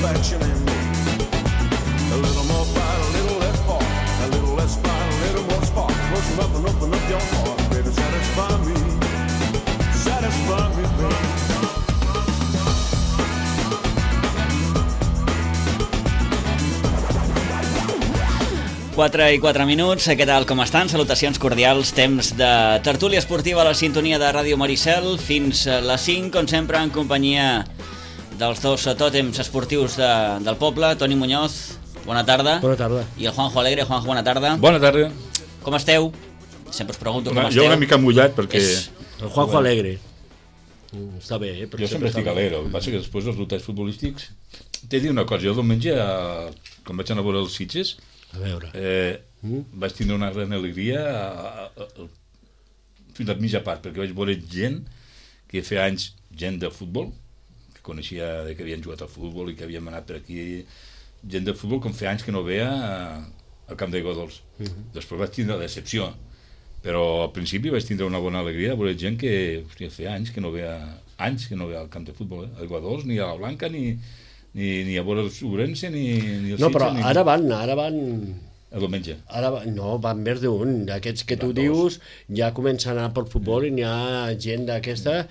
satisfaction in me. A little more fight, a little less part. A little less fight, a little more spark. Close enough and open up your heart. Baby, satisfy me. Satisfy me, baby. 4:04. Què tal, com estan? Salutacions cordials, temps de tertúlia esportiva a la sintonia de Ràdio Maricel fins a les 5, com sempre, en companyia dels dos tòtems esportius del poble. Toni Muñoz, bona tarda. Bona tarda. I el Juanjo Alegre. Juanjo, bona tarda. Bona tarda. Com esteu? Sempre us pregunto com esteu. Jo una mica mullat perquè... El Juanjo Alegre. Està bé, eh? Jo sempre estic alegre. El que passa que després els resultats futbolístics... T'he dit una cosa, jo diumenge, quan vaig anar a veure els Sitges, a veure. Vaig tindre una gran alegria fins a mitja part, perquè vaig veure gent que feia anys, gent de futbol, que coneixia que havien jugat al futbol i que havíem anat per aquí, gent de futbol com feia anys que no veia al camp d'aigua dolç. Després vaig tindre la decepció, però al principi vaig tindre una bona alegria de veure gent que feia anys que no veia al camp de futbol, aigua dolç, ni a la Blanca, ni a veure el Ourense, ni el Sitges... No, però ara van... El diumenge. No, van més d'un. D'aquests que tu dius, ja comencen a anar pel futbol i n'hi ha gent d'aquesta,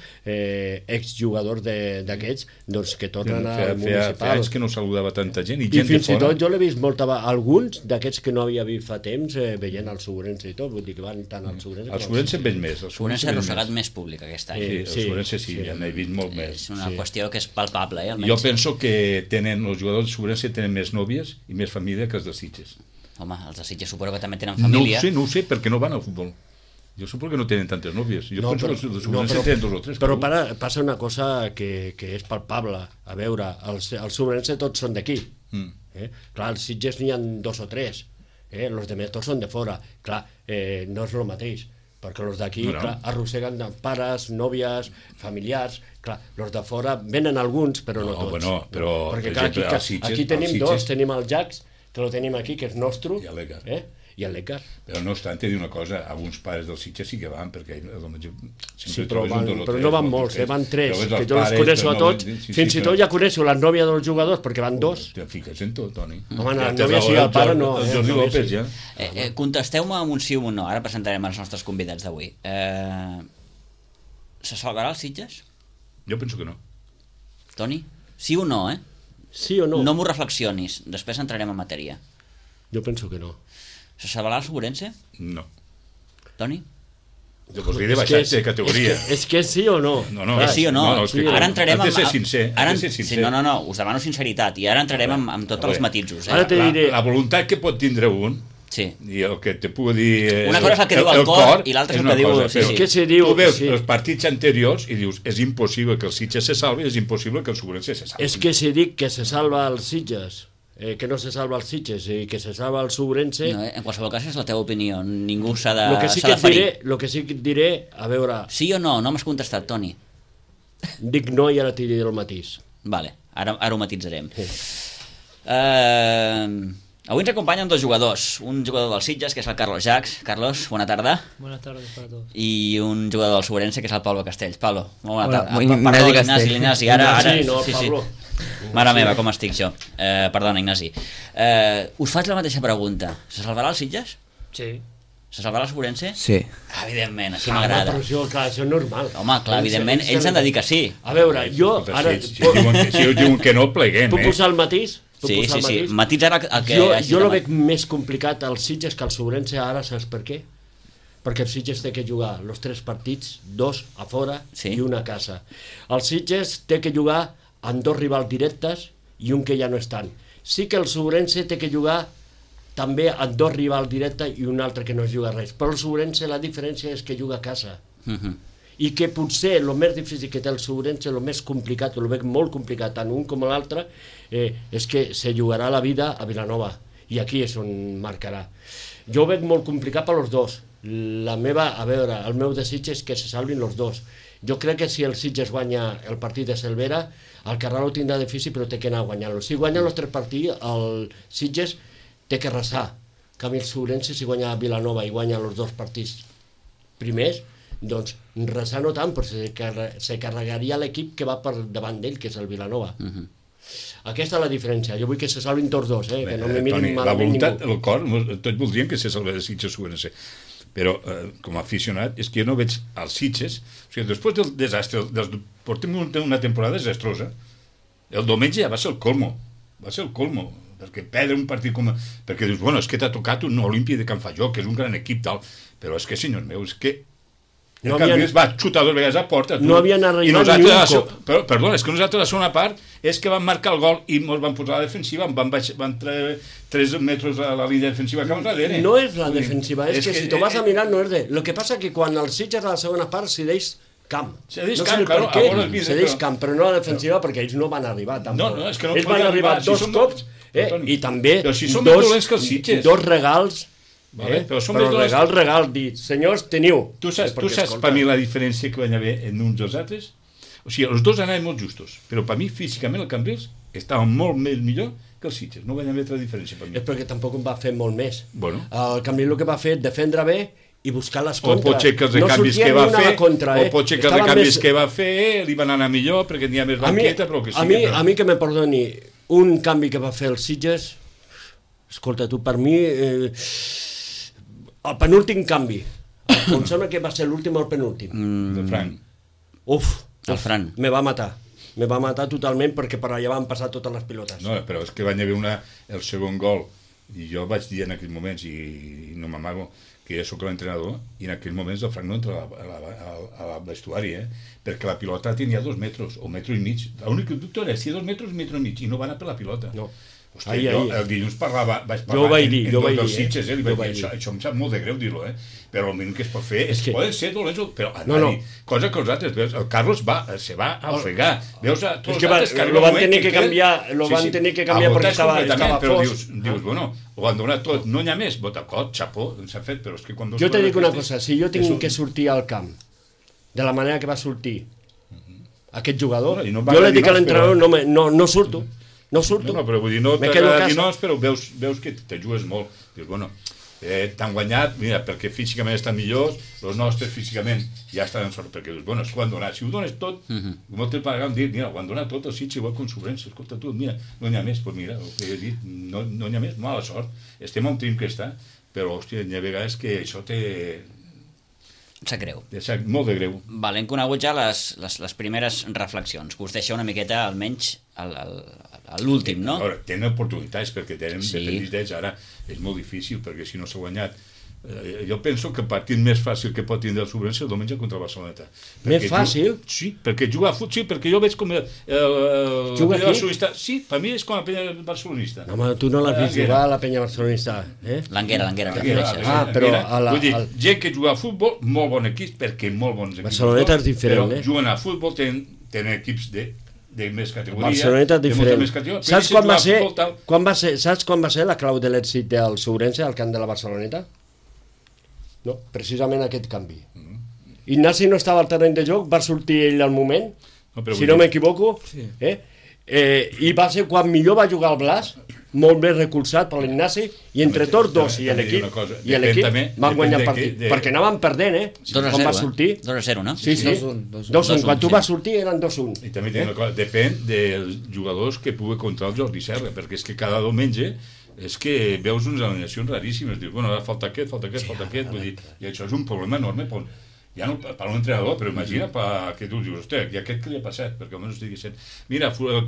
exjugadors d'aquests, doncs que tornen al municipal. Feia anys que no saludava tanta gent, i gent de fora. I fins i tot jo l'he vist alguns d'aquests que no havia vist fa temps veient el Ourense i tot, vull dir que van tant al Ourense... El Ourense en veig més. El Ourense ha arrossegat més públic aquest any. Sí, el Ourense sí, ja n'he vist molt més. És una qüestió que és palpable, almenys. Jo penso que els jugadors de Ourense tenen més nòvies i més família que els de Sitges. Home, els de Sitges suposo que també tenen família. No ho sé, perquè no van al futbol. Jo suposo que no tenen tantes nòvies. Jo penso que els de Ourense tenen 2 o 3. Però passa una cosa que és palpable. A veure, els Ourense tots són d'aquí. Clar, als Sitges n'hi ha 2 o 3. Els demés tots són de fora. Clar, no és el mateix. Perquè els d'aquí arrosseguen pares, nòvies, familiars. Clar, els de fora venen alguns, però no tots. Perquè clar, aquí tenim 2. Tenim el Jax, que lo tenim aquí, que és nostre, i el Lecar. Però no obstant, t'he dit una cosa, alguns pares dels Sitges sí que van, perquè sí, però no van molts, van 3, que jo els coneixo a tots, fins i tot ja coneixo la nòvia dels jugadors, perquè van 2. Te fiques en tot, Toni. Home, la nòvia sí, el pare no. El Jordi López, ja. Contesteu-me amb un sí o un no, ara presentarem els nostres convidats d'avui. Se salvarà els Sitges? Jo penso que no. Toni? Sí o no, Sí o no? No m'ho reflexionis, després entrarem en matèria. Jo penso que no. Se salvarà el Ourense? No. Toni? Jo voldria de baixar de categoria. És que sí o no? És sí o no. Ara entrarem amb... Has de ser sincer. No, us demano sinceritat i ara entrarem amb tots els matisos. Ara te diré... La voluntat que pot tindre un, sí. I el que te pugui dir... Una cosa és el que diu el cor i l'altra és el que diu... És que se diu... Tu veus els partits anteriors i dius, és impossible que el Sitges se salvi, és impossible que el Ourense se salvi. És que si dic que se salva els Sitges, que no se salva els Sitges i que se salva el Ourense... No, en qualsevol cas és la teva opinió, ningú s'ha de ferir. El que sí que et diré, a veure... Sí o no? No m'has contestat, Toni. Dic no i ara t'hi diré el matís. Vale, ara ho matitzarem. Avui ens acompanyen 2 jugadors, un jugador del Sitges, que és el Carlos Jax. Carlos, bona tarda. Buenas tardes para todos. I un jugador del Ourense, que és el Pablo Castells. Pablo, molt bona tarda. Perdó, Ignasi, ara... Sí. Mare meva, com estic jo. Perdona, Ignasi. Us faig la mateixa pregunta. Se salvarà el Sitges? Sí. Se salvarà el Ourense? Sí. Evidentment, així m'agrada. Però això és normal. Home, clar, evidentment, ells han de dir que sí. A veure, jo... Si diuen que no, pleguem, Puc posar el matís? Sí, matís ara el que... Jo lo veig més complicat als Sitges que al Ourense ara, saps per què? Perquè el Sitges té que jugar els 3 partits, 2 a fora i 1 a casa. El Sitges té que jugar amb 2 rivals directes i un que ja no estan. Sí que el Ourense té que jugar també amb 2 rivals directes i un altre que no es juga res. Però el Ourense la diferència és que juga a casa. I que potser el més difícil que té el Ourense, el més complicat, el veig molt complicat, tant un com l'altre, és que se jugarà la vida a Vilanova, i aquí és on marcarà. Jo ho veig molt complicat per als 2. El meu desig és que se salvin els 2. Jo crec que si el Sitges guanya el partit de Cervera, el Carral ho tindrà difícil, però té que anar guanyant-lo. Si guanya els 3 partits, el Sitges té que resar. En canvi, el Ourense, si guanya Vilanova i guanya els 2 partits primers, doncs resar no tant, però se carregaria l'equip que va per davant d'ell, que és el Vilanova. Aquesta és la diferència. Jo vull que se salvin tots dos, que no me mirin Toni, la malament voluntat, ningú. el cor, tots voldrien que se salvés el Sitges UNC, però com a aficionat és que jo no veig els Sitges, o sigui, després del desastre, portem una temporada desastrosa, el diumenge ja va ser el colmo, perquè perdre un partit com... Perquè dius, bueno, és que t'ha tocat un Olímpia de Can Fajó, que és un gran equip, tal, però és que, senyors meus, és que el Cambrils va xutar 2 vegades a porta. No havien arribat ni un cop. Perdona, és que nosaltres la segona part és que van marcar el gol i ens van posar a la defensiva, van treure 3 metres a la línia defensiva cap darrere. No és la defensiva, és que si t'ho vas a mirar no és de... Lo que passa que quan el Sitges a la segona part cedeix camp. Cedeix no camp, sé claro, cedeix camp, però no a la defensiva perquè ells no van arribar tampoc. No, és que no ells van arribar 2 cops i també però si som més dolents que els Sitges. 2 regals. Vale, però regal, dir, senyors, teniu. Tu saps per mi la diferència que van haver en uns dels altres? O sigui, els dos anaven molt justos, però per mi físicament el Cambrils estava molt més millor que els Sitges, no van haver altra diferència per mi. És perquè tampoc en va fer molt més. Bueno. El Cambrils el que va fer és defendre bé i buscar les contres. O pot ser que els canvis que va fer, o pot ser que els canvis que va fer li van anar millor perquè n'hi ha més banqueta, però que sigui. A mi que me perdoni, un canvi que va fer els Sitges, escolta tu, per mi... el penúltim canvi. Em sembla que va ser l'últim o el penúltim. De Frank. El Fran. Me va matar. Me va matar totalment perquè per allà van passar totes les pilotes. No, però és que van haver el segon gol, i jo vaig dir en aquells moments, i no m'amago, que jo sóc l'entrenador, i en aquells moments el Frank no entra al vestuari, perquè la pilota tenia 2 metres, o metro i mig. L'únic dubte era si 2 metres, metro i mig, i no va anar per la pilota. No. Hòstia, jo el dilluns vaig parlar jo vaig dir, dels Sitges, li vaig dir, això em sap molt de greu dir-lo, però el mínim que es pot fer és que poden ser dolents, però anar-hi, cosa que els altres, veus, el Carlos se va a ofegar, veus a tots els altres que lo van tenir que canviar, perquè estava fos. Però dius, bueno, ho han donat tot, no n'hi ha més, d'acord, xapó, s'ha fet, però és que quan... Jo te dic una cosa, si jo tinc que sortir al camp de la manera que va sortir aquest jugador, jo li dic a l'entrenador, no surto. No surto. No, però vull dir, no t'agrada dir noms, però veus que te jugues molt. Dius, bueno, t'han guanyat, mira, perquè físicament estan millors, els nostres físicament ja estan en sort, perquè dius, bueno, és que ho han donat. Si ho dones tot, moltes vegades dir, mira, ho han donat tot, el Sitges igual com Sobrense, escolta tu, mira, no n'hi ha més, doncs mira, el que he dit, no n'hi ha més, mala sort, estem on tenim que estar, però, hòstia, n'hi ha vegades que això sap greu. Sap molt de greu. Vale, hem conegut ja les primeres reflexions, que us deixa una miqueta, almenys, l'últim, no? A veure, tenen oportunitats, perquè tenen dependents, ara és molt difícil, perquè si no s'ha guanyat... Jo penso que el partit més fàcil que pot tindre el Sobrense el diumenge contra el Barceloneta. Més fàcil? Sí, perquè jugar a futbol, sí, perquè jo veig com el penya barcelonista... Sí, per mi és com el penya barcelonista. No, home, tu no l'has vist jugar a la penya barcelonista, L'Anguera, però... Vull dir, gent que juga a futbol, molt bon equip, perquè molt bons equips. Barceloneta és diferent, però juguen a futbol, tenen equips de més categoria. Barceloneta és diferent. Saps quan va ser la clau de l'èxit del Sobrense al camp de la Barceloneta? No, precisament aquest canvi. Ignasi no estava al terreny de joc, va sortir ell al moment, si no m'equivoco, i va ser quan millor va jugar el Blas, molt més recolzat per l'Ignasi, i entre tots dos i l'equip van guanyar el partit, perquè anaven perdent, 2-0, va sortir 2-0, no? Sí, 2-1, quan tu vas sortir eren 2-1. I també una cosa, depèn dels jugadors que pugui contra el Jordi Serra, perquè és que cada diumenge és que veus unes alineacions raríssimes, dius, bueno, ara falta aquest, vull dir, i això és un problema enorme ja no per un entrenador, però imagina que tu dius, hòstia, i aquest què li ha passat? Perquè almenys diguessin, mira, el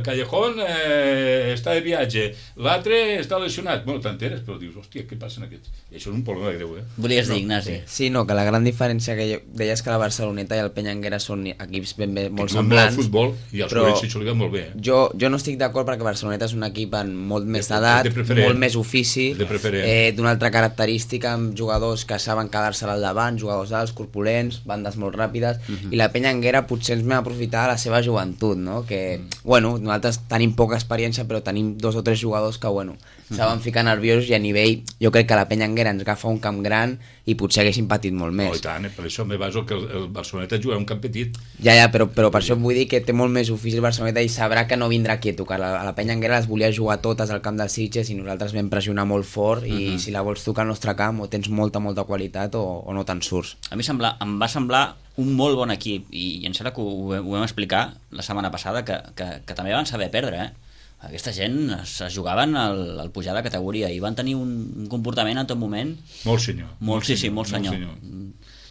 Callejón està de viatge, l'altre està lesionat, bueno, t'enteres, però dius, hòstia, què passa en aquests? I això és un problema greu, Volies dir, Ignasi? Sí, no, que la gran diferència que deies que la Barceloneta i el Penyanguera són equips ben bé molt semblants, el futbol i els Sobrense s'ho liga molt bé. Jo no estic d'acord perquè Barceloneta és un equip amb molt més d'edat, molt més ofici, d'una altra característica, amb jugadors que saben quedar-se al davant, jugadors alts, corpulents, bandes molt ràpides, i la Penyanguera potser ens vam aprofitar de la seva joventut, no? Que, bueno, nosaltres tenim poca experiència, però tenim 2 o 3 jugadors que, bueno, saben ficar nerviosos, i a nivell, jo crec que la Penyanguera ens agafa un camp gran i potser haguessin patit molt més. No, i tant, per això me baso que el Barceloneta juga un camp petit. Ja, però per això vull dir que té molt més ofici el Barceloneta i sabrà que no vindrà aquí a tocar. A la Penyanguera les volia jugar totes al camp dels Sitges i nosaltres vam pressionar molt fort, i si la vols tocar al nostre camp o tens molta qualitat o no te'n surts. A mi em va semblar un molt bon equip, i em sembla que ho vam explicar la setmana passada, que també van saber perdre, Aquesta gent es jugaven al pujar de categoria i van tenir un comportament en tot moment... Molt senyor. Molt senyor.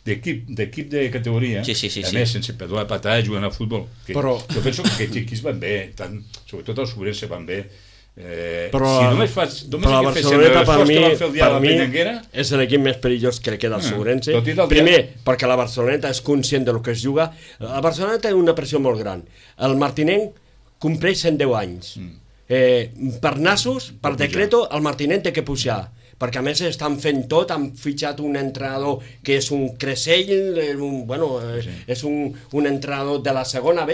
D'equip de categoria, sí. A més, sense perdre la patada, jugant a futbol. Però... Jo penso que aquests equips van bé, sobretot els Sobrense van bé. Però la Barceloneta per mi és l'equip més perillós que queda al Sobrense. Primer, perquè la Barceloneta és conscient del que es juga. La Barceloneta té una pressió molt gran. El Martinenc compleix 110 anys. Per nassos, per decreto, el Martinenc té que pujar, perquè a més estan fent tot, han fitxat un entrenador que és un Cressell, és un entrenador de la segona B,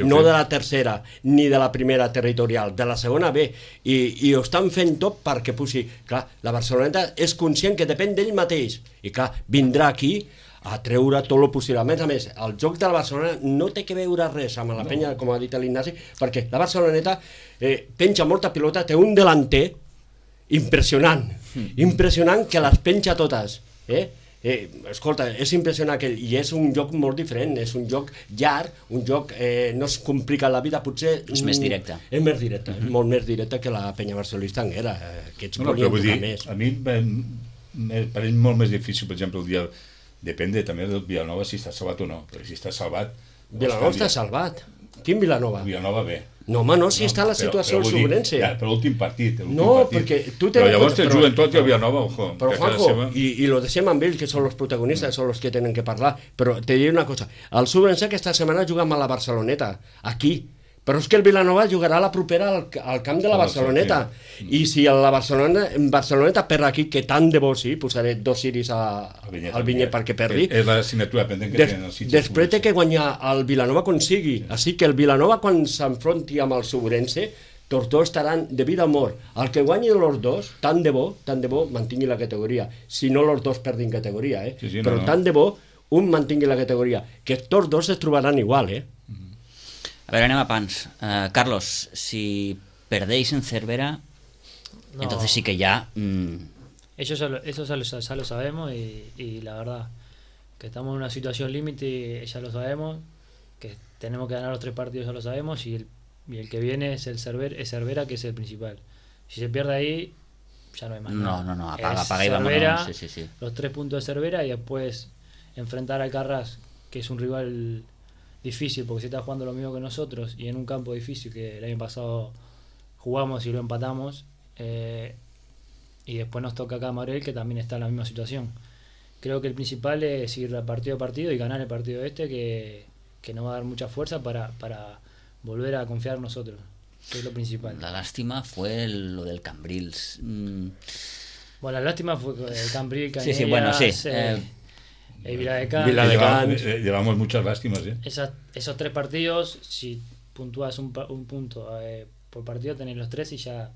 no de la tercera, ni de la primera territorial, de la segona B, i ho estan fent tot perquè pugi. Clar, la Barceloneta és conscient que depèn d'ell mateix, i clar, vindrà aquí a treure tot el possible. A més, el joc de la Barcelona no té que veure res amb la penya, com ha dit l'Ignasi, perquè la Barceloneta penja molta pilota, té un delanter impressionant que les penja totes, escolta, és impressionant i és un joc molt diferent, és un joc llarg, un joc no es complica la vida, potser és més directe, molt més directe que la penya barcelonista era, que ets volien tocar més. A mi me pareix molt més difícil, per exemple, el dia, depèn també del Vilanova si està salvat o no, però si està salvat Vilanova està salvat. Quin Vilanova? Vilanova B. No, home, no, si està la situació al Sobrense. Però l'últim partit. Perquè tu però llavors te juguen tot i el Vilanova, ojo. Però, Juanjo, i lo deixem amb ells, que són els protagonistes, són els que tenen que parlar, però te diré una cosa, el Sobrense aquesta setmana juga amb la Barceloneta, aquí, però és que el Vilanova jugarà la propera al camp de la Barceloneta, i si la Barceloneta perd aquí, que tant de bo sí, posaré 2 ciris al Vinyet perquè perdi, és l'assignatura pendent que tenen els Sitges. Després té que guanyar el Vilanova quan sigui, així que el Vilanova quan s'enfronti amb el Sobrense, tots dos estaran de vida o mort. El que guanyi els dos, tant de bo, mantingui la categoria, si no els dos perdin categoria, però tant de bo un mantingui la categoria, que tots dos es trobaran igual, A ver, anem a pans. Carlos, si perdéis en Cervera, entonces sí que ya... Eso ya lo sabemos y la verdad que estamos en una situación límite, ya lo sabemos, que tenemos que ganar los 3 partidos, ya lo sabemos, y el que viene es Cervera, que es el principal. Si se pierde ahí, ya no hay más nada. No, apaga y Cervera, vámonos. Sí. Los 3 puntos de Cervera y después enfrentar al Carras, que es un rival difícil porque se está jugando lo mismo que nosotros y en un campo difícil que el año pasado jugamos y lo empatamos, y después nos toca acá a Morel, que también está en la misma situación. Creo que el principal es ir partido a partido y ganar el partido que nos va a dar mucha fuerza para volver a confiar en nosotros, que es lo principal. La lástima fue lo del Cambrils. Bueno, la lástima fue el Cambril, Cañeras, sí, bueno, sí. Viladecans. Llevamos muchas lástimas, Esos 3 partidos, si puntúas un punto por partido, tenés los 3 y ya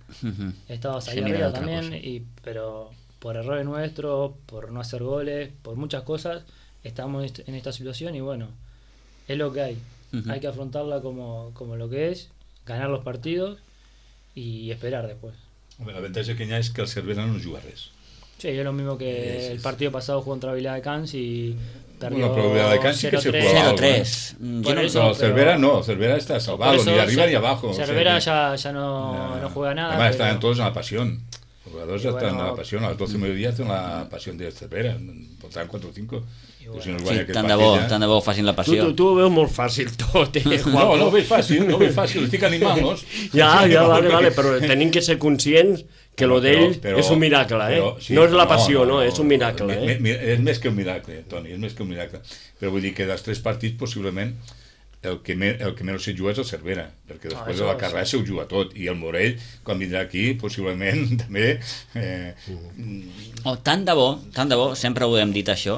estabas ahí arriba también, pero por errores nuestros, por no hacer goles, por muchas cosas, estamos en esta situación y bueno, es lo que hay. Hay que afrontarla como lo que es, ganar los partidos y esperar después. La ventaja que hi ha és que el Cervera no juga res. Sí, es lo mismo que el partido pasado jugó contra Viladecans y perdió 0-3. Pero Cervera no, Cervera está salvado, ni arriba ni abajo. Cervera ya no juega nada. Además, están todos en la pasión. Los jugadores están en la pasión. A las 12 de mediodía están en la pasión de Cervera. Portaran 4 o 5. Sí, tant de bo facin la passió. Tu ho veus molt fàcil tot, Juanjo. No ho veig fàcil, estic animant-los. Ja, vale, però tenim que ser conscients que lo d'ell és un miracle, no és la passió, no, és un miracle. És més que un miracle, Toni, és més que un miracle. Però vull dir que dels 3 partits, possiblement, el que menys se juga és el Cervera, perquè després de la carrera se ho juga tot, i el Morell, quan vindrà aquí, possiblement, també... Tant de bo, sempre ho hem dit això,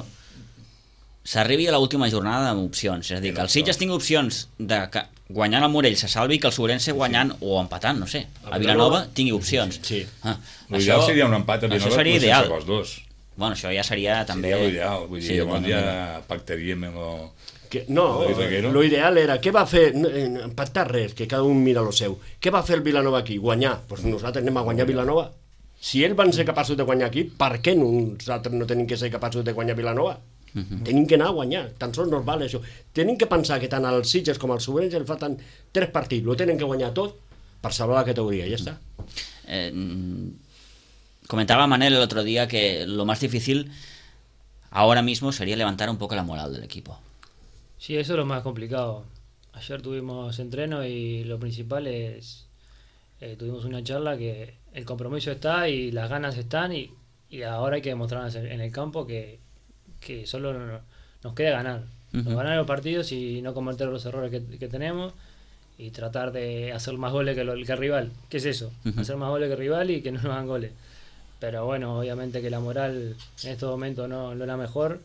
s'arribi a l'última jornada amb opcions, és a dir, que el Sitges tingui opcions de que guanyant el Morell se salvi, que el Sobrense guanyant o empatant, no sé, a Vilanova tingui opcions. L'ideal seria un empat a Vilanova, això seria ideal. Els dos. Bueno, això ja seria també... Seria l'ideal, vull dir, llavors ja pactaríem amb el... No, l'ideal era, què va fer? Empatar res, que cada un mira lo seu. Què va fer el Vilanova aquí? Guanyar. Doncs nosaltres anem a guanyar Vilanova. Si ells van ser capaços de guanyar aquí, per què nosaltres no tenim que ser capaços de guanyar Vilanova? Tenim que anar a guanyar, tan sols no val això. Tenim que pensar que tant els Sitges com els Sobrense el falten 3 partits, lo tenen que guanyar tot per salvar la categoría, ya está. Comentaba Manel el otro día que lo más difícil ahora mismo sería levantar un poco la moral del equipo. Sí, eso es lo más complicado. Ayer tuvimos entreno y lo principal es, tuvimos una charla que el compromiso está y las ganas están y ahora hay que demostrarnos en el campo que solo nos queda ganar. Ganar los partidos y no cometer los errores que tenemos y tratar de hacer más goles que el rival. ¿Qué es eso? Hacer más goles que el rival y que no nos hagan goles. Pero bueno, obviamente que la moral en estos momentos no es la mejor,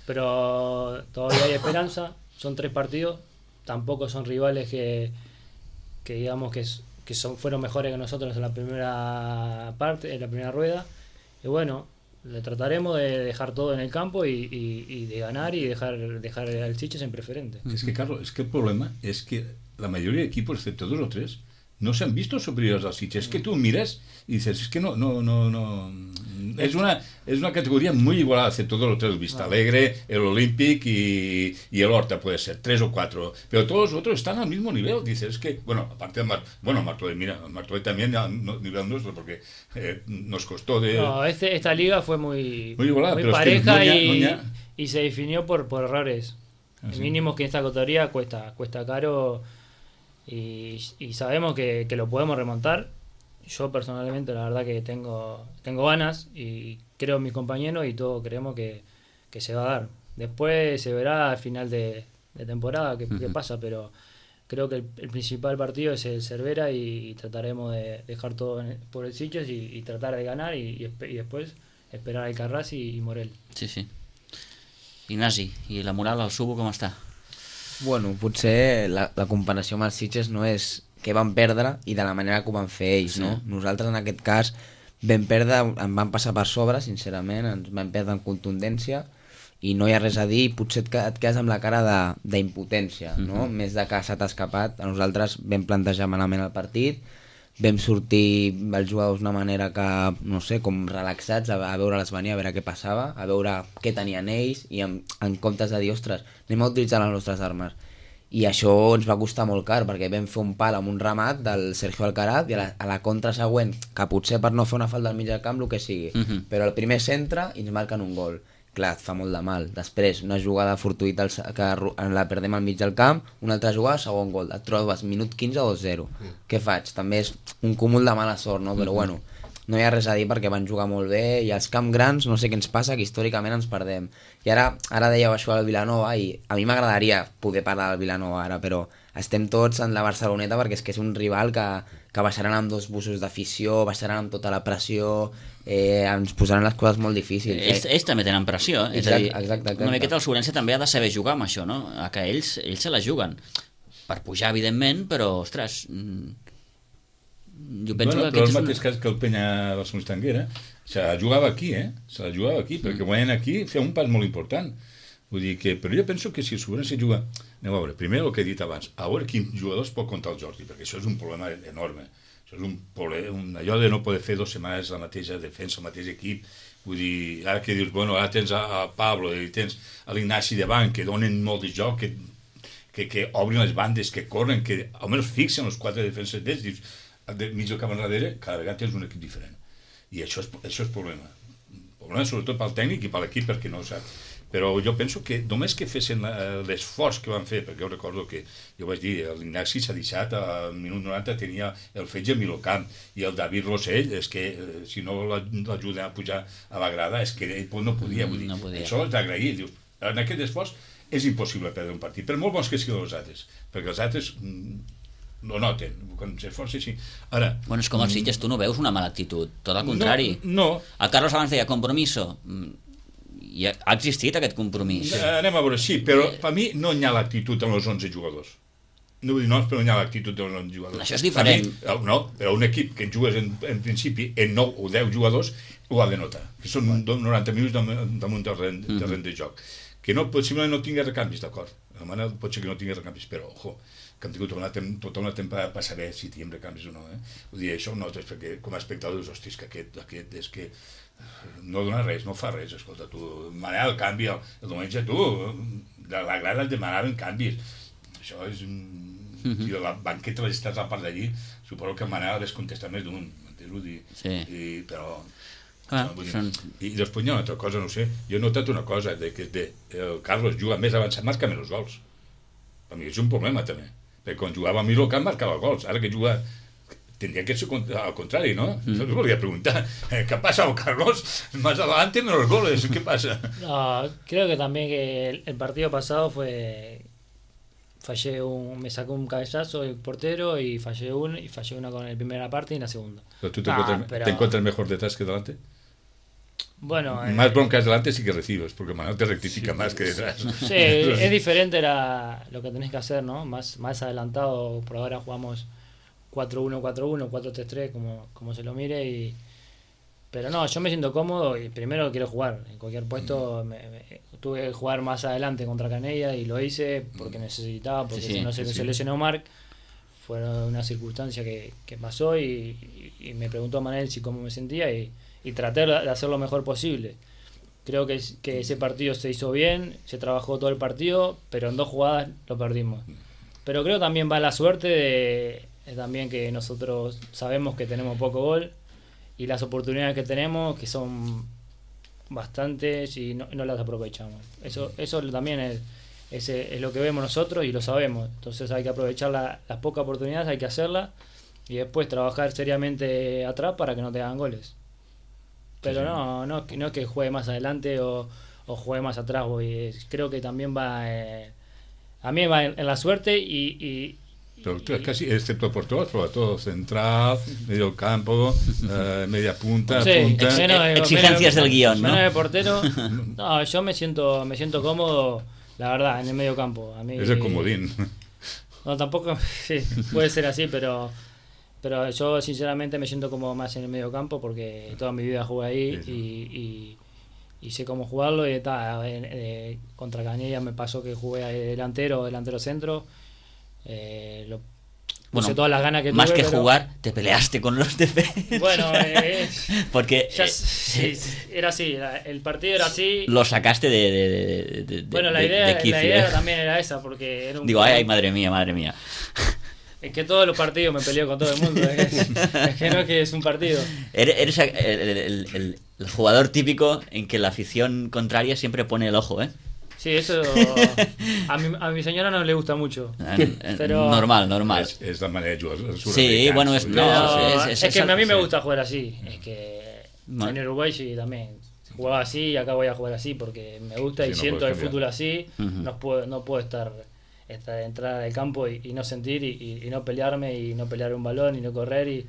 pero todavía hay esperanza. Son 3 partidos, tampoco son rivales que digamos que fueron mejores que nosotros en la primera parte, en la primera rueda. Y bueno, le trataremos de dejar todo en el campo y de ganar y dejar al Sitges en preferente. Es que, Carlos, es que el problema es que la mayoría de equipos, excepto 2 o 3, no se han visto superiores al Sitges. Es que tú miras y dices, es que no. Es una categoría muy igualada, excepto 2 o 3, el Vista Alegre, el Olympic y el Horta, puede ser, 3 o 4. Pero todos los otros están al mismo nivel. Dices, es que, bueno, aparte de Martorell, mira, Martorell también a nivel nuestro, porque nos costó de... No, esta liga fue muy igualada, muy pero pareja es que y se definió por errores. Mínimo que en esta categoría cuesta caro y sabemos que lo podemos remontar. Yo personalmente la verdad que tengo ganas y creo en mis compañeros y todos creemos que se va a dar. Después se verá al final de temporada qué pasa, pero creo que el principal partido es el Cervera y trataremos de dejar todo por el Sitges y tratar de ganar y después esperar al Carràs y Morell. Sí. Ignasi, i la moral al Subo com està? Bueno, potser la comparació amb els Sitges no és que van perdre i de la manera que ho van fer ells, no? Nosaltres en aquest cas vam perdre, em van passar per sobre, sincerament, ens vam perdre en contundència i no hi ha res a dir, potser et quedes amb la cara d'impotència, no? Més de que s'ha escapat. A nosaltres vam plantejar malament el partit, vam sortir els jugadors d'una manera que, no sé, com relaxats, a veure-les venir, a veure què passava, a veure què tenien ells i en comptes de dir, ostres, anem a utilitzar les nostres armes. I això ens va costar molt car, perquè vam fer un pal amb un ramat del Sergio Alcaraz i a la contra següent, que potser per no fer una falta al mig del camp, el que sigui, però el primer centre i ens marquen un gol. Clar, et fa molt de mal. Després, una jugada fortuïta que la perdem al mig del camp, una altra jugada, segon gol. Et trobes minut 15 o 2-0. Què faig? També és un cúmul de mala sort, no? Però bueno, no hi ha res a dir perquè van jugar molt bé i els camps grans, no sé què ens passa, que històricament ens perdem. I ara dèieu això al Vilanova i a mi m'agradaria poder parlar del Vilanova ara, però estem tots en la Barceloneta perquè és que és un rival que baixaran amb 2 busos d'afició, baixaran amb tota la pressió, ens posaran les coses molt difícils. Ells també tenen pressió, és a dir, exacte. Una miqueta el Sobrense també ha de saber jugar amb això, no? Que ells se la juguen per pujar, evidentment, però, ostres, jo penso que... Però el mateix cas que el Penya Barcelona Tanguera se la jugava aquí, perquè guanyen aquí feia un pas molt important. Vull dir que, però jo penso que si el Sobrense juga, anem a veure, primer el que he dit abans, a veure quins jugadors pot comptar el Jordi, perquè això és un problema enorme. Això és un problema, allò de no poder fer 2 setmanes la mateixa defensa, el mateix equip. Vull dir, ara que dius, bueno, ara tens a Pablo i tens a l'Ignasi davant, que donen molt de joc, que obrin les bandes, que corren, que almenys fixen els 4 defenses d'ells, dius, mig del camp enrere, cada vegada tens un equip diferent. I això és problema. Problema sobretot pel tècnic i per l'equip, perquè no ho sap. Però jo penso que només que fessin l'esforç que van fer, perquè jo recordo que jo vaig dir, l'Ignasi s'ha deixat al minut 90 tenia el Fetge a Milocamp i el David Rossell, és que si no l'ajuden a pujar a la grada és que ell no podia, vull dir, això és d'agrair. En aquest esforç és impossible perdre un partit, per molt bons que siguin els altres, perquè els altres no noten, quan s'esforça així. Ara... Bueno, és com els Sitges, tu no veus una mala actitud, tot al contrari. No. El Carlos abans deia compromiso, i ha existit aquest compromís. Anem a veure, sí, però per mi no hi ha l'actitud amb els 11 jugadors. No vull dir no, però no hi ha l'actitud dels 11 jugadors. Això és diferent. No, però un equip que jugues en principi en 9 o 10 jugadors ho ha de notar, que són 90 minuts damunt del terreny de joc. Que possiblement no tingui recanvis, d'acord. Pot ser que no tingui recanvis, però, ojo, que hem tingut tota una temporada per saber si tenim recanvis o no. Vull dir, això nosaltres, perquè com a espectadors, hostis, que aquest és que no dona res, no fa res, escolta, tu, manera el canvi, el diumenge tu, de la grada et demanaven canvis, això és Si la banqueta l'has estat a la part d'allí, suposo que Manel hauria contestat més d'un, però... I després hi ha una altra cosa, no sé, jo he notat una cosa, que el Carlos juga més avançat, marca menys gols. Per mi és un problema també, perquè quan jugava a mi el camp marcava gols, ara que juga tendría que ser al contrario, ¿no? Yo te volví a preguntar, ¿qué ha pasado, Carlos? Más adelante menos goles, ¿qué pasa? No, creo que también que el partido pasado me sacó un cabezazo el portero y fallé una con la primera parte y la segunda. ¿Pero tú te encuentras mejor detrás que delante? Bueno, más broncas delante sí que recibes, porque Manuel te rectifica más que detrás. Sí, es diferente lo que tenés que hacer, ¿no? Más adelantado, por ahora jugamos 4-1, 4-1, 4-3-3, como se lo mire. Pero no, yo me siento cómodo y primero quiero jugar. En cualquier puesto tuve que jugar más adelante contra Canella y lo hice porque necesitaba, porque si no se lesionó Marc. Fue una circunstancia que pasó y me preguntó Manel si cómo me sentía y traté de hacer lo mejor posible. Creo que ese partido se hizo bien, se trabajó todo el partido, pero en 2 jugadas lo perdimos. Pero creo también va la suerte también que nosotros sabemos que tenemos poco gol y las oportunidades que tenemos, que son bastantes y no las aprovechamos. Eso también es lo que vemos nosotros y lo sabemos. Entonces hay que aprovechar las pocas oportunidades, hay que hacerlas y después trabajar seriamente atrás para que no te hagan goles. Pero no es que juegue más adelante o juegue más atrás. Creo que también va a mí va en la suerte pero tú es casi, excepto por todo central, medio campo, media punta, punta. Exigencias del guión, ¿no? Menos de portero. No, yo me siento cómodo, la verdad, en el medio campo. A mí, es el comodín. No, tampoco, sí, puede ser así, pero yo sinceramente me siento como más en el medio campo porque toda mi vida jugué ahí y sé cómo jugarlo y contra Canella me pasó que jugué delantero centro. Puse todas las ganas que más tuve, que jugar te peleaste con los defensas. Bueno, porque era así, el partido era así. Lo sacaste de bueno, la idea también era esa porque era ay, madre mía. Es que todos los partidos me peleo con todo el mundo. Es que no es que es un partido. Eres el jugador típico en que la afición contraria siempre pone el ojo, ¿eh? Sí, eso a mi señora no le gusta mucho. Pero normal. Es la manera de jugar. Sí, bueno, es que a mí me gusta jugar así. Es que en Uruguay sí también jugaba así y acá voy a jugar así porque me gusta y siento el fútbol así. No puedo entrar al campo y no sentir y no pelearme y no pelear un balón y no correr y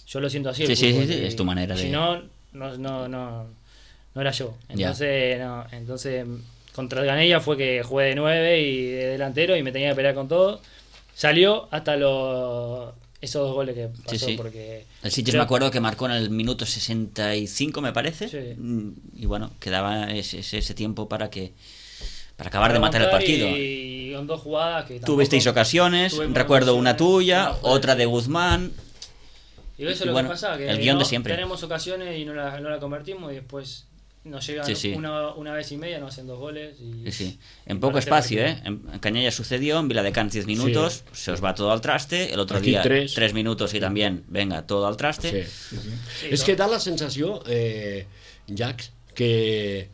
yo lo siento así. Sí, es tu manera de... Si no era yo. Entonces contra el Canella fue que jugué de 9 y de delantero y me tenía que pelear con todo. Salió hasta esos 2 goles que pasó porque... El Sitges me acuerdo que marcó en el minuto 65 me parece y bueno, quedaba ese tiempo para acabar de matar el partido. Y con 2 jugadas que tuvisteis ocasiones, recuerdo una tuya, otra de Guzmán. Y eso es lo que pasa, que el guión de siempre. Tenemos ocasiones y no la convertimos y después nos llegan una vez y media, nos hacen 2 goles. En poco espacio, En Canella sucedió, en Viladecans 10 minutos, se os va todo al traste, el otro aquí día 3 minutos y también, venga, todo al traste. Es que da la sensación, Jax, que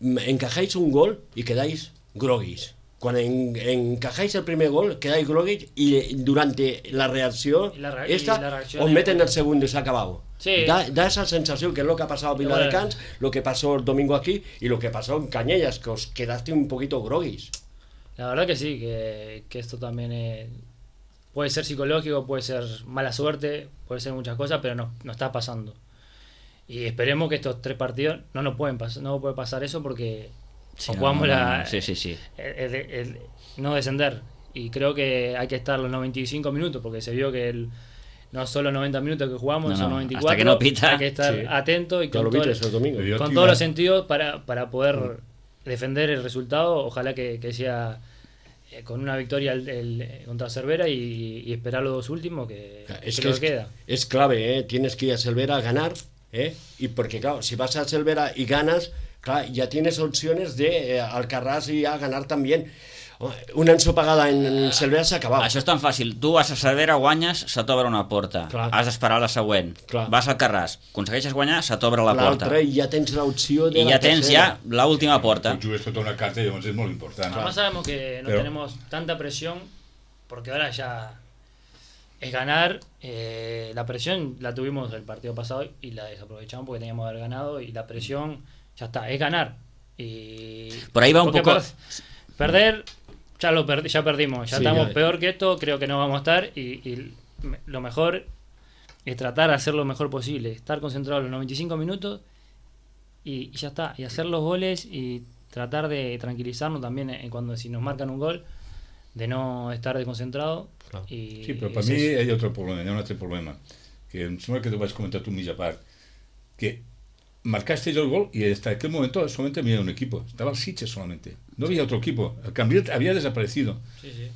encajáis un gol y quedáis groguis. Cuando encajáis el primer gol, quedáis groguis y durante la reacción os meten el segundo y se ha acabado. Sí. Da esa sensación que es lo que ha pasado en Viladecans, lo que pasó el domingo aquí y lo que pasó en Cañellas, que os quedaste un poquito groguis. La verdad que sí, que esto también puede ser psicológico, puede ser mala suerte, puede ser muchas cosas, pero no está pasando. Y esperemos que estos 3 partidos no puede pasar eso porque jugamos no descender. Y creo que hay que estar los 95 minutos porque se vio que no solo 90 minutos que jugamos, son 94. Hasta que no pita. Hay que estar atento y con todos los sentidos para poder defender el resultado. Ojalá que sea con una victoria contra Cervera y esperar los 2 últimos que queda. Es clave, tienes que ir a Cervera a ganar. Y porque claro, si vas a Cervera y ganas, claro, ya tienes opciones de Alcarràs y a ganar también. una ensopegada en Cervera s'acabava. Això és tan fàcil. Tu vas a Cervera, guanyes, se t'obre una porta. Clar. Has d'esperar la següent. Clar. Vas al Carràs, aconsegueixes guanyar, se t'obre la porta. L'altra i ja tens l'opció de I la ja tens tercera. ja l'última porta. Tu jugues tota una carta i llavors és molt important. Además sabemos que no tenemos tanta presión, porque ahora ya es ganar. La presión la tuvimos el partido pasado y la desaprovechamos porque teníamos que haber ganado, y la presión ya está, es ganar. Y por ahí va un poco... Perder, ya perdimos, ya estamos peor que esto, creo que no vamos a estar, y lo mejor es tratar de hacer lo mejor posible, estar concentrado los 95 minutos y ya está, y hacer los goles y tratar de tranquilizarnos también cuando si nos marcan un gol, de no estar desconcentrado. Claro. Sí, però per mi hi ha un altre problema, que em sembla que t'ho vaig comentar tu mitja part, que marcaste el gol y hasta aquel momento solamente había un equipo, estaba el Sitges solamente, no había otro equipo, el Cambril había desaparecido. Sí.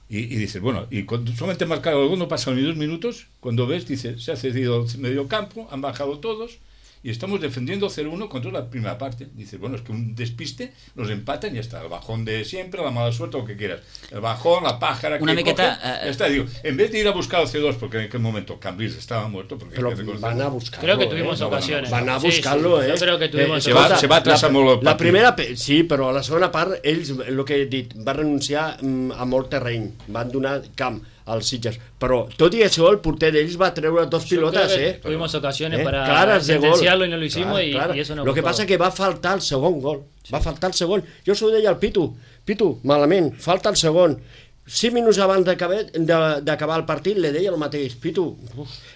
Y dices, bueno, y cuando solamente han marcado el gol no pasan ni 2 minutos, cuando ves, dices, se ha cedido el medio campo, han bajado todos y estamos defendiendo 0-1 contra la primera parte. Dices, bueno, es que un despiste nos empatan y ya está, el bajón de siempre, la mala suerte, lo que quieras. El bajón, la pájara una que miqueta, coge, ya está, digo, en vez de ir a buscar el C2, porque en aquel momento Cambrils estaba muerto, porque Pero van a buscarlo. Creo que tuvimos ocasiones. Van a buscarlo, Yo creo que tuvimos se va a atrasar molt el la partit. primera, sí, però a la segona part ells, el que he dit, van renunciar a molt terreny, van donar camp als Sitges, però tot i això el porter d'ells va treure 2 pilotes, tuvimos ocasiones para claras de gol, sentenciarlo y no lo hicimos, y eso no. Lo que passa que va faltar el segon gol, va faltar el segon. Jo s'ho deia al Pitu, malament, falta el segon. 5 minuts abans d'acabar el partit li deia el mateix, Pitu,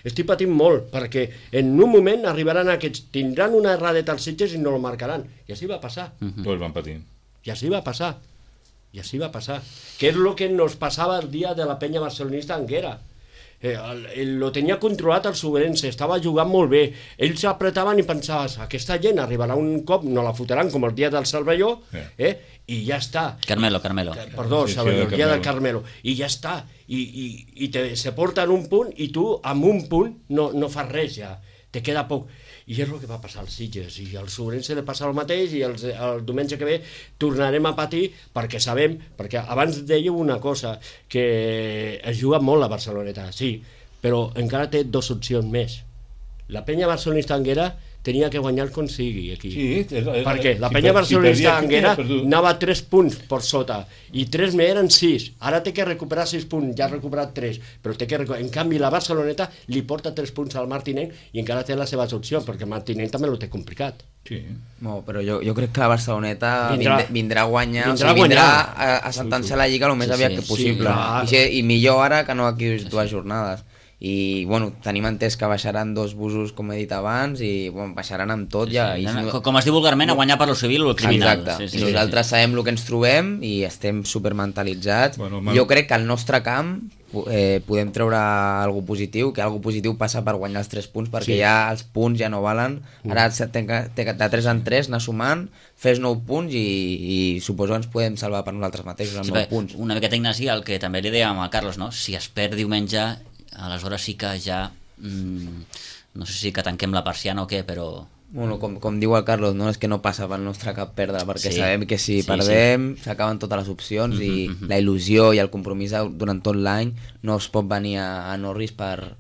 estic patint molt, perquè en un moment arribaran aquests, tindran una erradeta als Sitges i no el marcaran, i així va passar. Tots van patir. I així va passar. I així va passar. Que és el que nos passava el dia de la penya barcelonista Anguera. Lo tenia controlat el Sobrense, estava jugant molt bé. Ells apretaven i pensaves, aquesta gent arribarà un cop, no la fotran com el dia del Cervelló, i ja està. Carmelo. Perdó, Cervelló, el dia del Carmelo. I ja està. I se porten un punt i tu amb un punt no fas res ja. Te queda poc. I és el que va passar als Sitges, i al Sobrense li passa el mateix, i el diumenge que ve tornarem a patir, perquè sabem, perquè abans dèieu una cosa, que es juga molt la Barceloneta, sí, però encara té 2 opcions més. La penya barcelonista Anguera tenia que guanyar com sigui aquí. Sí, perquè la penya barcelonista Anguera anava 3 punts per sota, i 3 més eren 6. Ara té que recuperar 6 punts, ja ha recuperat 3, però té que en canvi la Barceloneta li porta 3 punts al Martinenc i encara té les seves opcions, perquè el Martinenc també ho té complicat. Sí. No, però jo crec que la Barceloneta vindrà a guanyar, vindrà a sentenciar la Lliga el més aviat que possible. I millor ara que no aquí 2 jornades. I bueno, tenim entès que baixaran 2 busos, com he dit abans, i bueno, baixaran amb tot ja. Com es diu vulgarment, a guanyar per lo civil o el criminal. Exacte, i nosaltres sabem el que ens trobem i estem supermentalitzats. Jo crec que al nostre camp podem treure alguna positiu, que alguna positiu passa per guanyar els 3 punts, perquè ja els punts ja no valen. Ara de 3 en 3 anar sumant, fes 9 punts i suposo que ens podem salvar per nosaltres mateixos amb 9 punts. Una miqueta, Ignasi, el que també li dèiem a Carlos, no? Si es perd diumenge, aleshores sí que ja no sé si que tanquem la persiana o què, però... Bueno, com diu el Carlos, no és que no passa pel nostre cap perdre, perquè sabem que si perdem s'acaben totes les opcions i la il·lusió i el compromís durant tot l'any no es pot venir a Norris per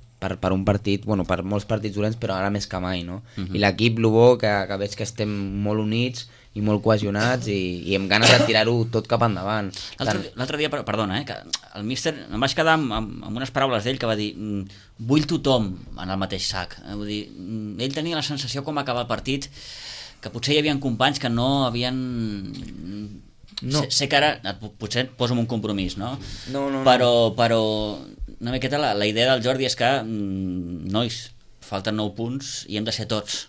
un partit, bueno, per molts partits dolents, però ara més que mai, no? I l'equip, el bo, que veig que estem molt units i molt cohesionats i amb ganes de tirar-ho tot cap endavant. L'altre dia, perdona, que el míster, em vaig quedar amb unes paraules d'ell que va dir vull tothom en el mateix sac. Vull dir, ell tenia la sensació com acabar el partit que potser hi havia companys que no havien... No. Sé que ara potser et poso en un compromís, no? No. Però una miqueta la idea del Jordi és que nois, falten 9 punts i hem de ser tots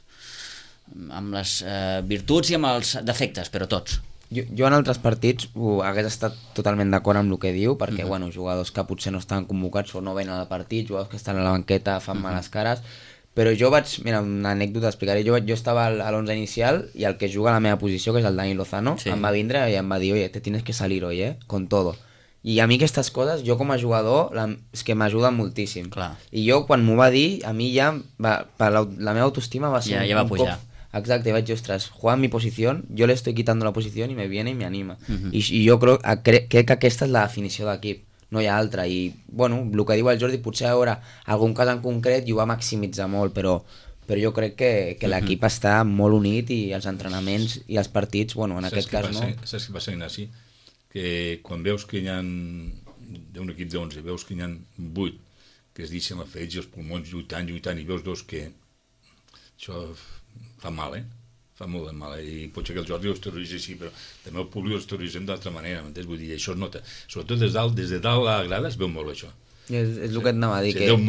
amb les virtuts i amb els defectes, però tots. Jo en altres partits hagués estat totalment d'acord amb el que diu, perquè bueno, jugadors que potser no estan convocats o no venen al partit, jugadors que estan a la banqueta fan males cares, però jo vaig, mira, una anècdota explicaré, jo estava a l'11 inicial i el que juga a la meva posició, que és el Dani Lozano, em va vindre i em va dir, oye, te tienes que salir hoy, con todo. I a mi aquestes coses, jo com a jugador, és que m'ajuden moltíssim. Clar. I jo, quan m'ho va dir, a mi ja la meva autoestima va ser ja va pujar. Exacte, y vaig dir, ostres, juega en mi posición, yo le estoy quitando la posición y me viene y me anima. I jo crec que aquesta és la definició d'equip, no hi ha altra. I, bueno, el que diu el Jordi, potser hi haurà algun cas en concret i ho va maximitzar molt, però jo crec que l'equip està molt unit i els entrenaments i els partits, bueno, en aquest cas no. Saps què passa, Ignasi? Que quan veus que hi ha d'un equip d'11, veus que hi ha 8 que es deixen la fetge, els pulmons lluitant, i veus dos que això fa mal, fa molt de mal, i potser que el Jordi ho exterioritza així, però també el públic ho exterioritzem d'altra manera, m'entens? Vull dir, això es nota, sobretot des de dalt a la grada es veu molt això. És el que et anava a dir. Se veu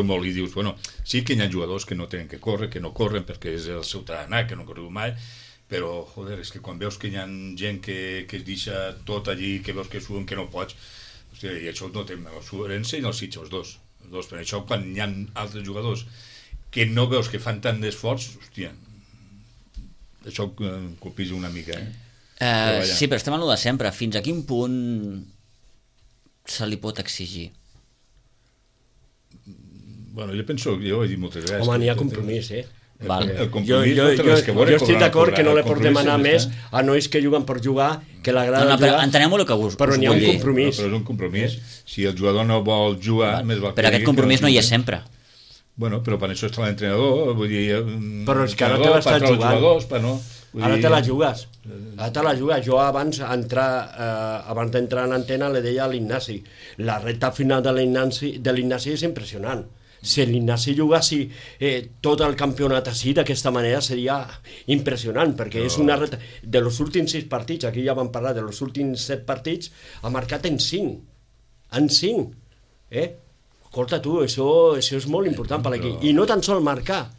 molt, i dius, bueno, sí que hi ha jugadors que no tenen que córrer, que no corren perquè és el seu tarannà, que no correu mai, però, joder, és que quan veus que hi ha gent que es deixa tot allí, que veus que suden, que no pots, hòstia, i això ho notem, el Suberense i el Sitges, els dos, per això quan hi ha altres jugadors que no veus que fan tant d'esforç, hòstia, això colpija una mica, sí, però estem en el de sempre. Fins a quin punt se li pot exigir? Bueno, jo he dit moltes vegades... Home, n'hi ha compromís, El compromís jo estic d'acord que no li portem anar més a nois que juguen per jugar, que l'agrada jugar, entenem el que us però n'hi ha un compromís. Però és un compromís. Si el jugador no vol jugar, més val que... Però aquest compromís no hi és sempre. Bueno, però per això està l'entrenador, vull dir... Però és que ara te l'estàs jugant. Ara te la jugues. Jo abans d'entrar en antena li deia a l'Ignasi, la recta final de l'Ignasi és impressionant. Si l'Ignasi jugasi tot el campionat així, d'aquesta manera seria impressionant, perquè és una recta... De los últims 6 partits, aquí ja vam parlar, de los últims 7 partits, ha marcat en 5. En 5. Escolta tu, això és molt important per l'equip. I no tan sol marcar.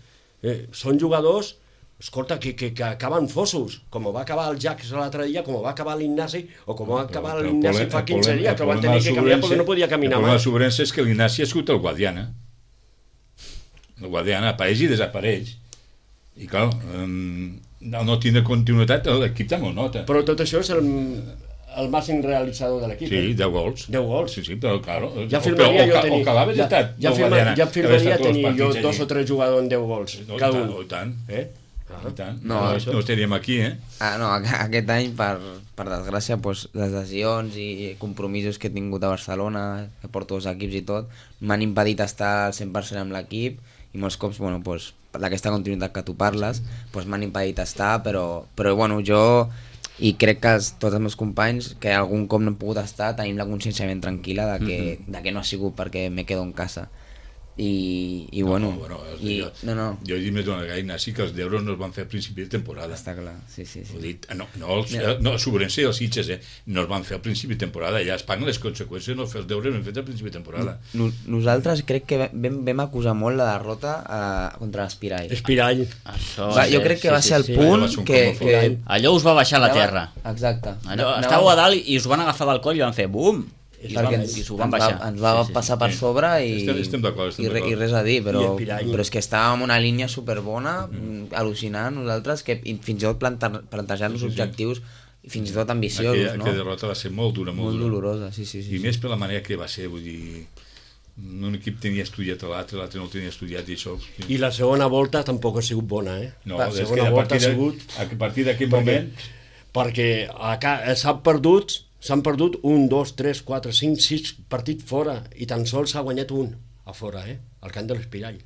Són jugadors, escolta, que acaben fossos, com va acabar el Jax l'altre dia, com va acabar l'Ignasi, o com va acabar l'Ignasi fa 15 dies, que van tenir que canviar perquè no podia caminar mai. El problema de Sobrense és que l'Ignasi ha sigut el Guadiana. El Guadiana apareix i desapareix. I clar, no tindre continuïtat, l'equip també ho nota. Però tot això és el màxim realitzador de l'equip. Sí, 10 gols. 10 gols. Sí, però claro. Ja firmaria jo tenir... Ja firmaria tenir jo 2 o 3 jugadors en 10 gols. Cada un. I tant. I tant. No estaríem aquí, No, aquest any, per desgràcia, les lesions i compromisos que he tingut a Barcelona, que porto 2 equips i tot, m'han impedit estar al 100% amb l'equip, i molts cops, d'aquesta continuïtat que tu parles, m'han impedit estar, però jo, i crec que tots els meus companys, que algun cop no he pogut estar, tenim la consciència ben tranquil·la de que no ha sigut perquè me quedo en casa. I bueno, jo he dit més d'una vegada, Ignasi, que els deures no es van fer a principi de temporada. Està clar, sí. Ho dit, el Sobrense i els Sitges no es van fer a principi de temporada, ja es paguen les conseqüències no fer els deures ben fets a principi de temporada. Nosaltres crec que vam acusar molt la derrota contra l'Espirall. Jo crec que va ser el punt que allò us va baixar a la terra. Exacte. Estàveu a dalt i us van agafar del coll i van fer bum! I s'ho van baixar. Ens va passar per sobre i res a dir, però és que estàvem en una línia superbona, al·lucinant nosaltres, que fins i tot plantejar-nos objectius fins i tot ambiciosos. Aquella derrota va ser molt dura, molt dolorosa. I més per la manera que va ser, vull dir, un equip tenia estudiat l'altre no tenia estudiat i això... I la segona volta tampoc ha sigut bona, No, és que a partir d'aquell moment... Perquè s'han perdut 1, 2, 3, 4, 5, 6 partits fora i tan sols s'ha guanyat un a fora, al camp de l'Espirall.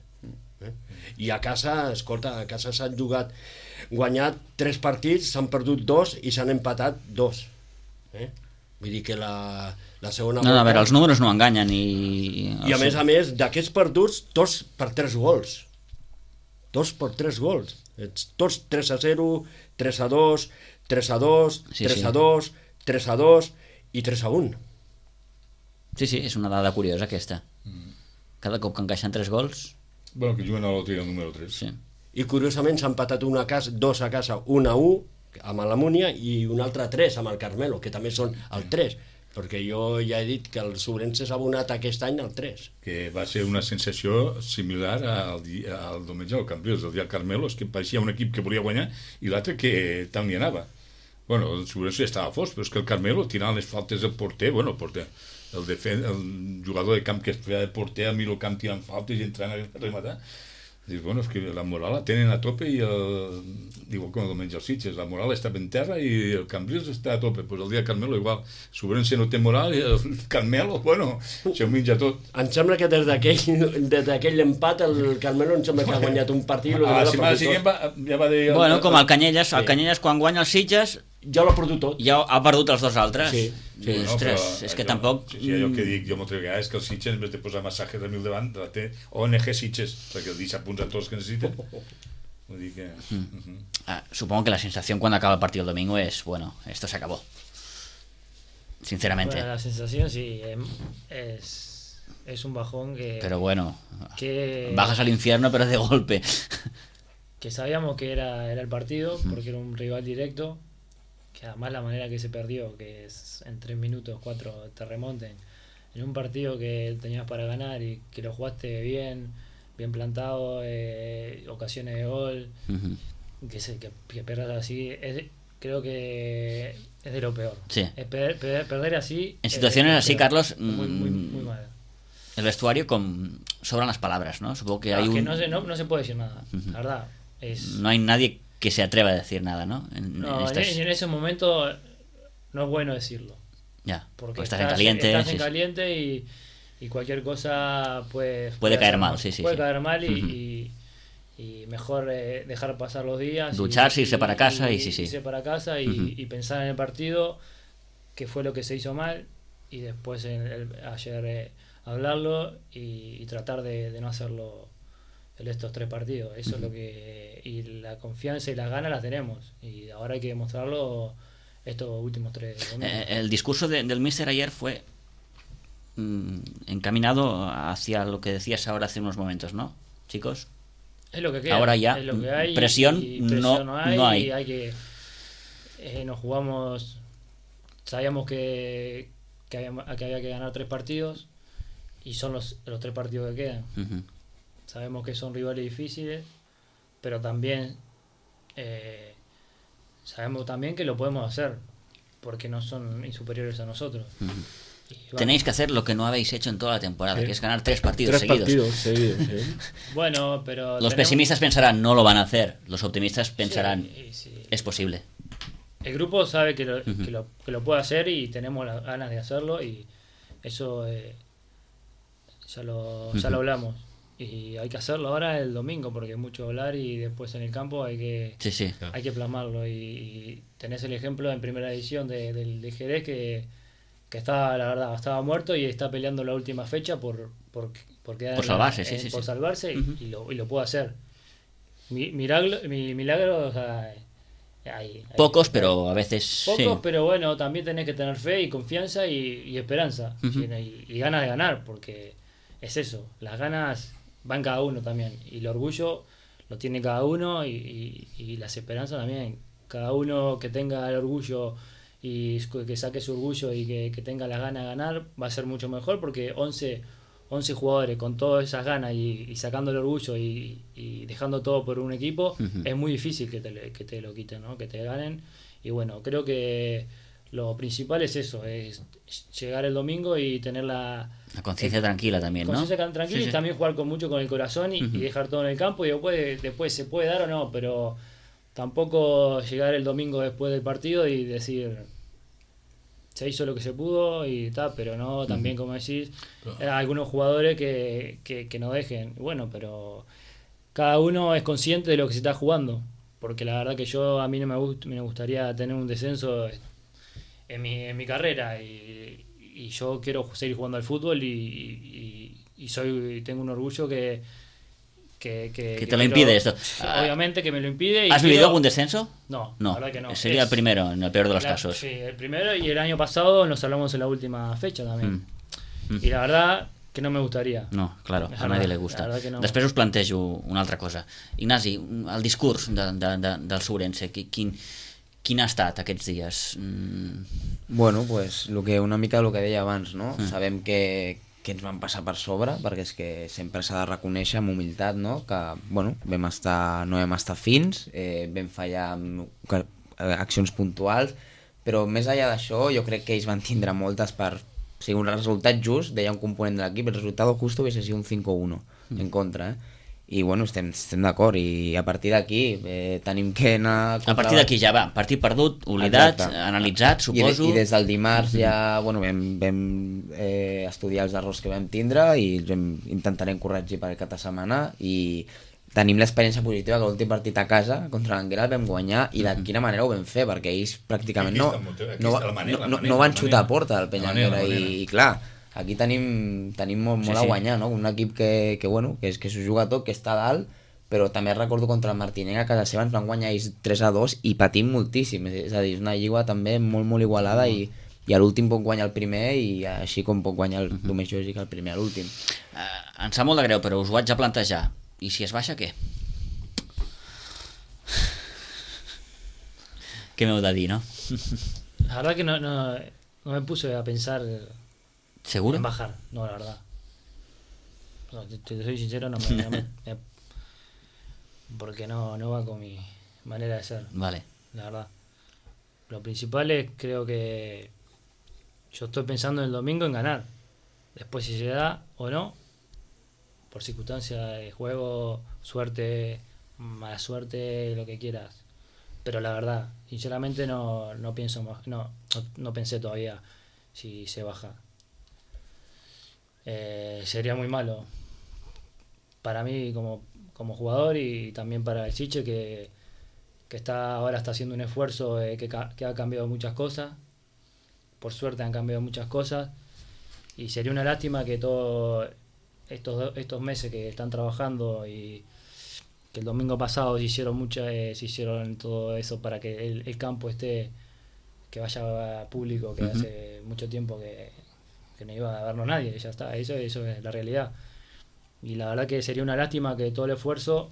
I a casa, escolta, a casa s'han guanyat 3 partits, s'han perdut 2 i s'han empatat 2. Vull dir que la segona volta... A veure, els números no enganyen i a més, d'aquests perduts, tots per 3 gols. Tots per 3 gols. Tots 3-0, 3-2, 3-2, 3-2... 3-2 i 3-1. Sí, és una dada curiosa aquesta. Cada cop que encaixen 3 gols... Bueno, que juguen a l'altre el número 3. Sí. I curiosament s'han empatat 2 a casa, 1-1 amb l'Amúnia i un altre 3 amb el Carmelo, que també són el 3, perquè jo ja he dit que el Sobrense s'ha abonat aquest any al 3. Que va ser una sensació similar al diumenge al Cambrils, el dia del Carmelo, és que pareixia un equip que volia guanyar i l'altre que tant li anava. Bueno, el Sobrense estava fos, però és que el Carmelo tirant les faltes del porter, el jugador de camp que es feia de porter, a mi el camp tirant faltes i entrant a rematar, Dius, bueno, és que la moral la tenen a tope i igual com el menys els Sitges, la moral està ben terra i el Cambrils està a tope. Pues el dia Carmelo igual, Sobrense no té moral i el Carmelo, bueno, s'ho menja tot. Em sembla que des d'aquell empat el Carmelo em sembla que ha guanyat un partit. La setmana següent ja va dir... Bueno, com el Canyelles, el Canyelles quan guanya els Sitges ja l'ha perdut tot. Ja ha perdut els dos altres. Sí. Ostres, és que tampoc... Sí, allò que dic jo moltes vegades és que el Sitges, en vez de posar massatges de 1000 davant, la té ONG Sitges, perquè el 17 punts a tots que necessiten. Vull dir que... Supongo que la sensación cuando acaba el partido el domingo es, bueno, esto se acabó. Sinceramente. Bueno, la sensación sí, es un bajón que... Pero bueno, bajas al infierno pero de golpe. Que sabíamos que era el partido, porque era un rival directo, que además la manera que se perdió, que es en 3 minutos, 4 te remonten, en un partido que tenías para ganar y que lo jugaste bien plantado, ocasiones de gol, que pierdas así, creo que es de lo peor. Sí. Perder así... En situaciones así, Carlos, muy mal. El vestuario sobran las palabras, ¿no? Supongo que hay que no se puede decir nada, la verdad. No hay nadie que se atreva a decir nada, ¿no? En ese momento no es bueno decirlo. Ya, porque estás en caliente. Estás en caliente y cualquier cosa puede caer mal, sí. Puede caer mal y mejor dejar pasar los días. Ducharse, irse para casa irse para casa y pensar en el partido, que fue lo que se hizo mal, y después ayer hablarlo y tratar de no hacerlo en estos 3 partidos. Eso es lo que... Y la confianza y las ganas las tenemos. Y ahora hay que demostrarlo estos últimos 3 domingos. El discurso del míster ayer fue encaminado hacia lo que decías ahora hace unos momentos, ¿no, chicos? Es lo que queda. Ahora ya, es lo que hay, presión no hay. Y hay que... nos jugamos... Sabíamos que había que ganar 3 partidos y son los 3 partidos que quedan. Sabemos que son rivales difíciles, pero también sabemos también que lo podemos hacer, porque no son superiores a nosotros. Tenéis que hacer lo que no habéis hecho en toda la temporada, que es ganar 3 partidos seguidos. Bueno, pero... Los pesimistas pensarán, no lo van a hacer. Los optimistas pensarán, es posible. El grupo sabe que lo puede hacer y tenemos las ganas de hacerlo, y eso ya lo hablamos. Y hay que hacerlo ahora el domingo, porque hay mucho hablar y después en el campo hay que plasmarlo. Y tenés el ejemplo en primera edición del Jerez que estaba, la verdad, estaba muerto y está peleando la última fecha por salvarse, por salvarse y lo puede hacer. Milagro, o sea, hay pocos, pero a veces pocos, pero bueno, también tenés que tener fe y confianza y esperanza y ganas de ganar, porque es eso, las ganas van cada uno también, y el orgullo lo tiene cada uno y las esperanzas también. Cada uno que tenga el orgullo y que saque su orgullo y que tenga las ganas de ganar va a ser mucho mejor, porque 11 jugadores con todas esas ganas y sacando el orgullo y dejando todo por un equipo, es muy difícil que te lo quiten, ¿no? Que te ganen. Y bueno, creo que lo principal es eso, es llegar el domingo y tener la conciencia tranquila también, ¿no? Conciencia tranquila y también jugar mucho con el corazón y dejar todo en el campo, y después se puede dar o no, pero tampoco llegar el domingo después del partido y decir se hizo lo que se pudo y tal, pero no, también como decís, algunos jugadores que no dejen. Bueno, pero cada uno es consciente de lo que se está jugando, porque la verdad que a mí no me gustaría tener un descenso en mi carrera, y yo quiero seguir jugando al fútbol y tengo un orgullo que te lo impide esto. Obviamente que me lo impide. ¿Has vivido algún descenso? No, la verdad que no. Sería el primero, en el peor de los casos. Sí, el primero, y el año pasado nos hablamos en la última fecha también. Y la verdad que no me gustaría. No, claro, a nadie le gusta. No. Després us plantejo una altra cosa. Ignasi, el discurs del Sobrense, quin ha estat aquests dies? Bueno, pues una mica el que deia abans, no? Sabem que ens van passar per sobre, perquè és que sempre s'ha de reconèixer amb humilitat, no? Que, bueno, no vam estar fins, vam fallar amb accions puntuals, però més enllà d'això jo crec que ells van tindre moltes per... O sigui, un resultat just, deia un component de l'equip, el resultat justo hubiese sido un 5-1 en contra, i bueno, estem d'acord, i a partir d'aquí tenim que anar... A partir d'aquí ja va, partit perdut, oblidat, analitzat, suposo... I des del dimarts ja bueno, vam estudiar els errors que vam tindre i intentarem corregir per aquesta setmana, i tenim l'experiència positiva que l'últim partit a casa contra l'Anguera el vam guanyar, i de quina manera ho vam fer, perquè ells pràcticament no van xutar a porta el Peñanguera, i clar, aquí tenim molt a guanyar, no? Un equip que s'ho juga tot, que està dalt, però també recordo contra el Martinenc a casa seva ens van guanyar ells 3-2 i patim moltíssim, és a dir, és una lliga també molt igualada, i a l'últim pot guanyar el primer, i així com pot guanyar el més lògic el primer a l'últim. Em sap molt de greu, però us ho haig de plantejar. I si es baixa, què? Què m'heu de dir, no? La verdad que no me puse a pensar... ¿Seguro? En bajar, no, la verdad. No, te soy sincero, porque no va con mi manera de ser. Vale. La verdad. Lo principal es, creo que yo estoy pensando el domingo en ganar. Después si se da o no, por circunstancias de juego, suerte, mala suerte, lo que quieras. Pero la verdad, sinceramente no pienso más, no pensé todavía si se baja. Sería muy malo para mí como jugador, y también para el Siche que ahora está haciendo un esfuerzo, que ha cambiado muchas cosas. Por suerte han cambiado muchas cosas, y sería una lástima que todos estos meses que están trabajando, y que el domingo pasado se hicieron todo eso para que el campo esté, que vaya público, que hace mucho tiempo que no iba a vernos nadie, y ya está, eso es la realidad. Y la verdad que sería una lástima que todo el esfuerzo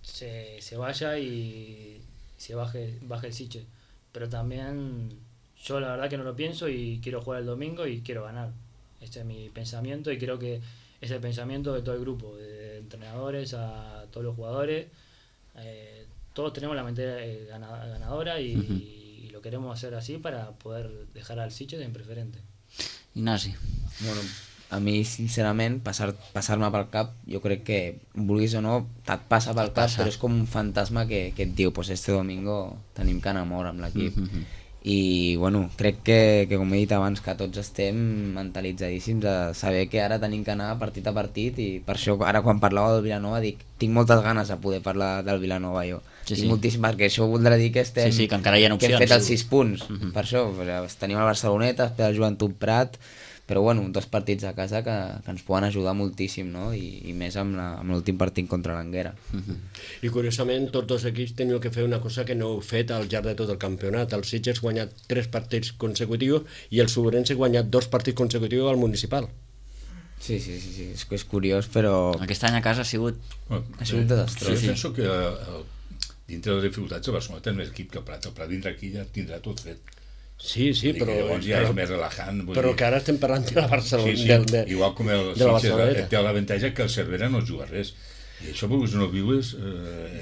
se vaya y se baje el Siche. Pero también yo la verdad que no lo pienso, y quiero jugar el domingo y quiero ganar. Ese es mi pensamiento, y creo que es el pensamiento de todo el grupo, de entrenadores a todos los jugadores. Todos tenemos la mente ganadora, y lo queremos hacer así para poder dejar al Siche en preferente. Ignasi. Bueno, a mi sincerament passar-me pel cap, jo crec que vulguis o no et passa pel cap, però és com un fantasma que et diu pues este domingo tenim que anar a mort amb l'equip. I bueno, crec que com he dit abans, que tots estem mentalitzadíssims a saber que ara tenim que anar partit a partit, i per això ara quan parlava del Vilanova dic, tinc moltes ganes de poder parlar del Vilanova jo. Tinc moltíssim, perquè això voldrà dir que estem, que encara hi ha opcions, que hem fet els 6 punts. Per això tenim el Barceloneta, espera el Joventut Prat, però bueno, 2 partits a casa que ens poden ajudar moltíssim, no? I més amb l'últim partit contra l'Anguera. I curiosament tots 2 equips teniu que fer una cosa que no heu fet al llarg de tot el campionat. El Sitges ha guanyat 3 partits consecutius i el Sobrense ha guanyat 2 partits consecutius al municipal. Sí, és curiós, però... Aquest any a casa ha sigut desastrós. Jo penso que dintre de les dificultats el Barcelona té més equip que el Prat. El Prat dintre aquí ja tindrà tot fet. Sí, però llavors ja és més relajant. Però que ara estem parlant de la Barcelona. Sí. Igual com el Sitges té l'avantatge que el Cervera no juga res. I això, perquè no vius,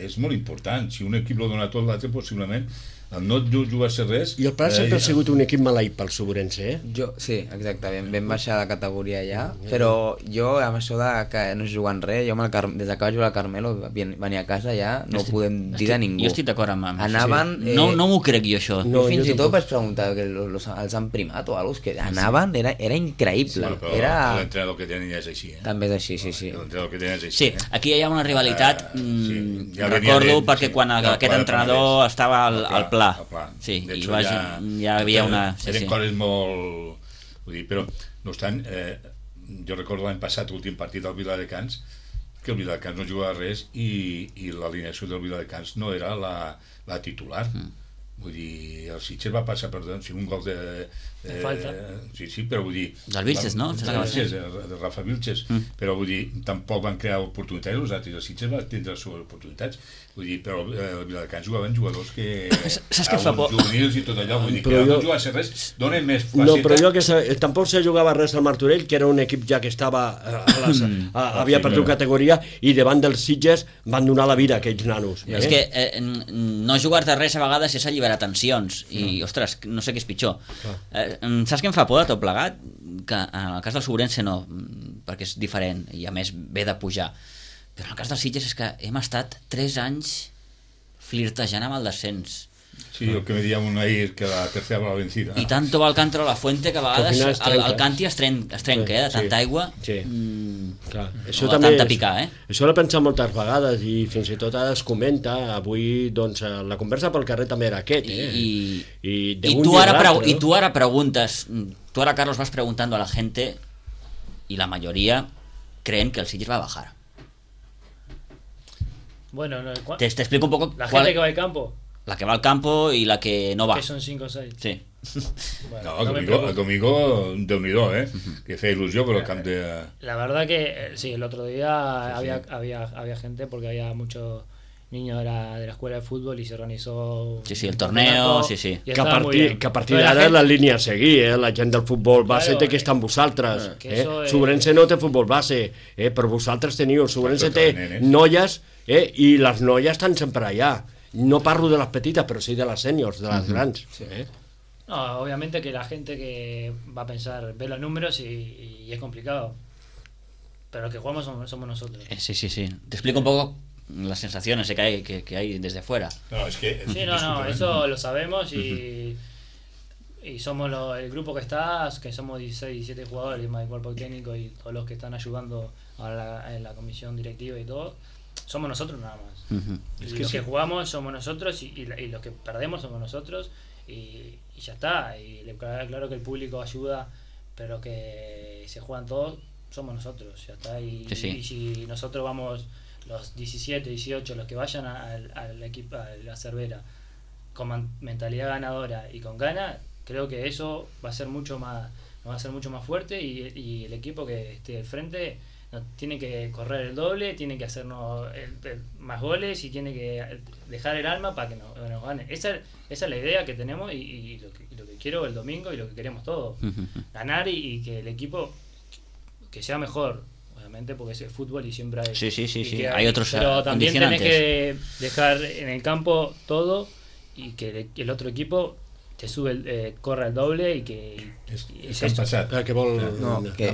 és molt important. Si un equip lo dona tot, l'altre possiblement no jugar-se res... I el Prat sempre ha sigut un equip maleït pel Sobrense, Sí, exacte, vam baixar de categoria ja, però jo amb això de que no es juguen res, jo des que vaig jugar al Carmelo venir a casa ja no ho podem dir de ningú. Jo estic d'acord amb això. Anaven... No m'ho crec jo, això. Jo fins i tot vaig preguntar que els han primat o alguna cosa, que anaven, era increïble. Però l'entrenador que tenen ja és així. També és així, sí. L'entrenador que tenen és així. Sí, aquí hi ha una rivalitat, recordo, perquè quan aquest entrenador estava al pla. Sí, i ja hi havia una... Eren coses molt... Vull dir, però, no obstant, jo recordo l'any passat, l'últim partit del Viladecans, que el Viladecans no jugava res i l'alineació del Viladecans no era la titular. Vull dir, el Sitges va passar per un gol de falta. Sí, però vull dir... Del Vilches, no? De Rafa Vilches. Però vull dir, tampoc van crear oportunitats, els altres. El Sitges va tindre les seves oportunitats. Vull dir, però el Viladecans jugaven jugadors que... Saps què fa por? Juvenils i tot allò. Vull dir, que no jugar-se res, donen més faceta. No, però jo que tampoc se jugava res al Martorell, que era un equip ja que estava... havia perdut categoria, i davant dels Sitges van donar la vida a aquells nanos. És que no jugar-te res a vegades és alliberar tensions, i, ostres, no sé què és pitjor. Saps què em fa por de tot plegat? Que en el cas del Sobrense no, perquè és diferent, i a més ve de pujar. Però en el cas dels Sitges és que hem estat 3 anys flirtejant amb el descens. Sí, el que me diuen un ahir, que la tercera va la vencida. I tanto va el Canto a la Fuente que a vegades el Canti es trenca, de tanta aigua. Sí. Clar. Això també tanta picar, Això l'he pensat moltes vegades i fins i tot ara es comenta. Avui, doncs, la conversa pel carrer també era aquest, I tu ara preguntes, tú ahora, Carlos, vas preguntando a la gente y la mayoría creen que el Sitges va a bajar. Bueno, te explico un poco. La gente que va al campo. La que va al campo y la que no va. Que son 5 o 6. Sí. Bueno, el domingo Déu-n'hi-do, que feia il·lusió por el camp de... La verdad que sí, el otro día había gente, porque había muchos niños de la escuela de fútbol y se organizó el torneo, que a partir d'ara la línia a seguir, la gent del futbol base té que estar amb vosaltres, Sobrense no té futbol base, però vosaltres teniu, Sobrense té noies i les noies estan sempre allà. No parlo de las petitas, pero sí de las seniors, de las grandes. Sí. No, obviamente que la gente que va a pensar, ve los números y es complicado. Pero los que jugamos somos nosotros. Sí. Te explico un poco las sensaciones que hay desde fuera. No, es que... Sí, no, eso lo sabemos y somos el grupo que está, que somos 16, 17 jugadores, más el cuerpo técnico y todos los que están ayudando en la comisión directiva y todo. Somos nosotros nada más. Y los que jugamos somos nosotros y los que perdemos somos nosotros y ya está. Y claro que el público ayuda, pero que se juegan todos somos nosotros, ya está. Y si nosotros vamos los 17, 18, los que vayan al equipo, a la Cervera, con mentalidad ganadora y con ganas, creo que eso va a ser mucho más fuerte y el equipo que esté al frente tiene que correr el doble, tiene que hacernos más goles y tiene que dejar el alma para que nos gane. Esa es la idea que tenemos y lo que quiero el domingo y lo que queremos todos. Ganar y que el equipo que sea mejor, obviamente, porque es el fútbol y siempre hay... Sí. Hay otros pero también tenés que dejar en el campo todo y que el otro equipo te corre el doble i que... És que han passat.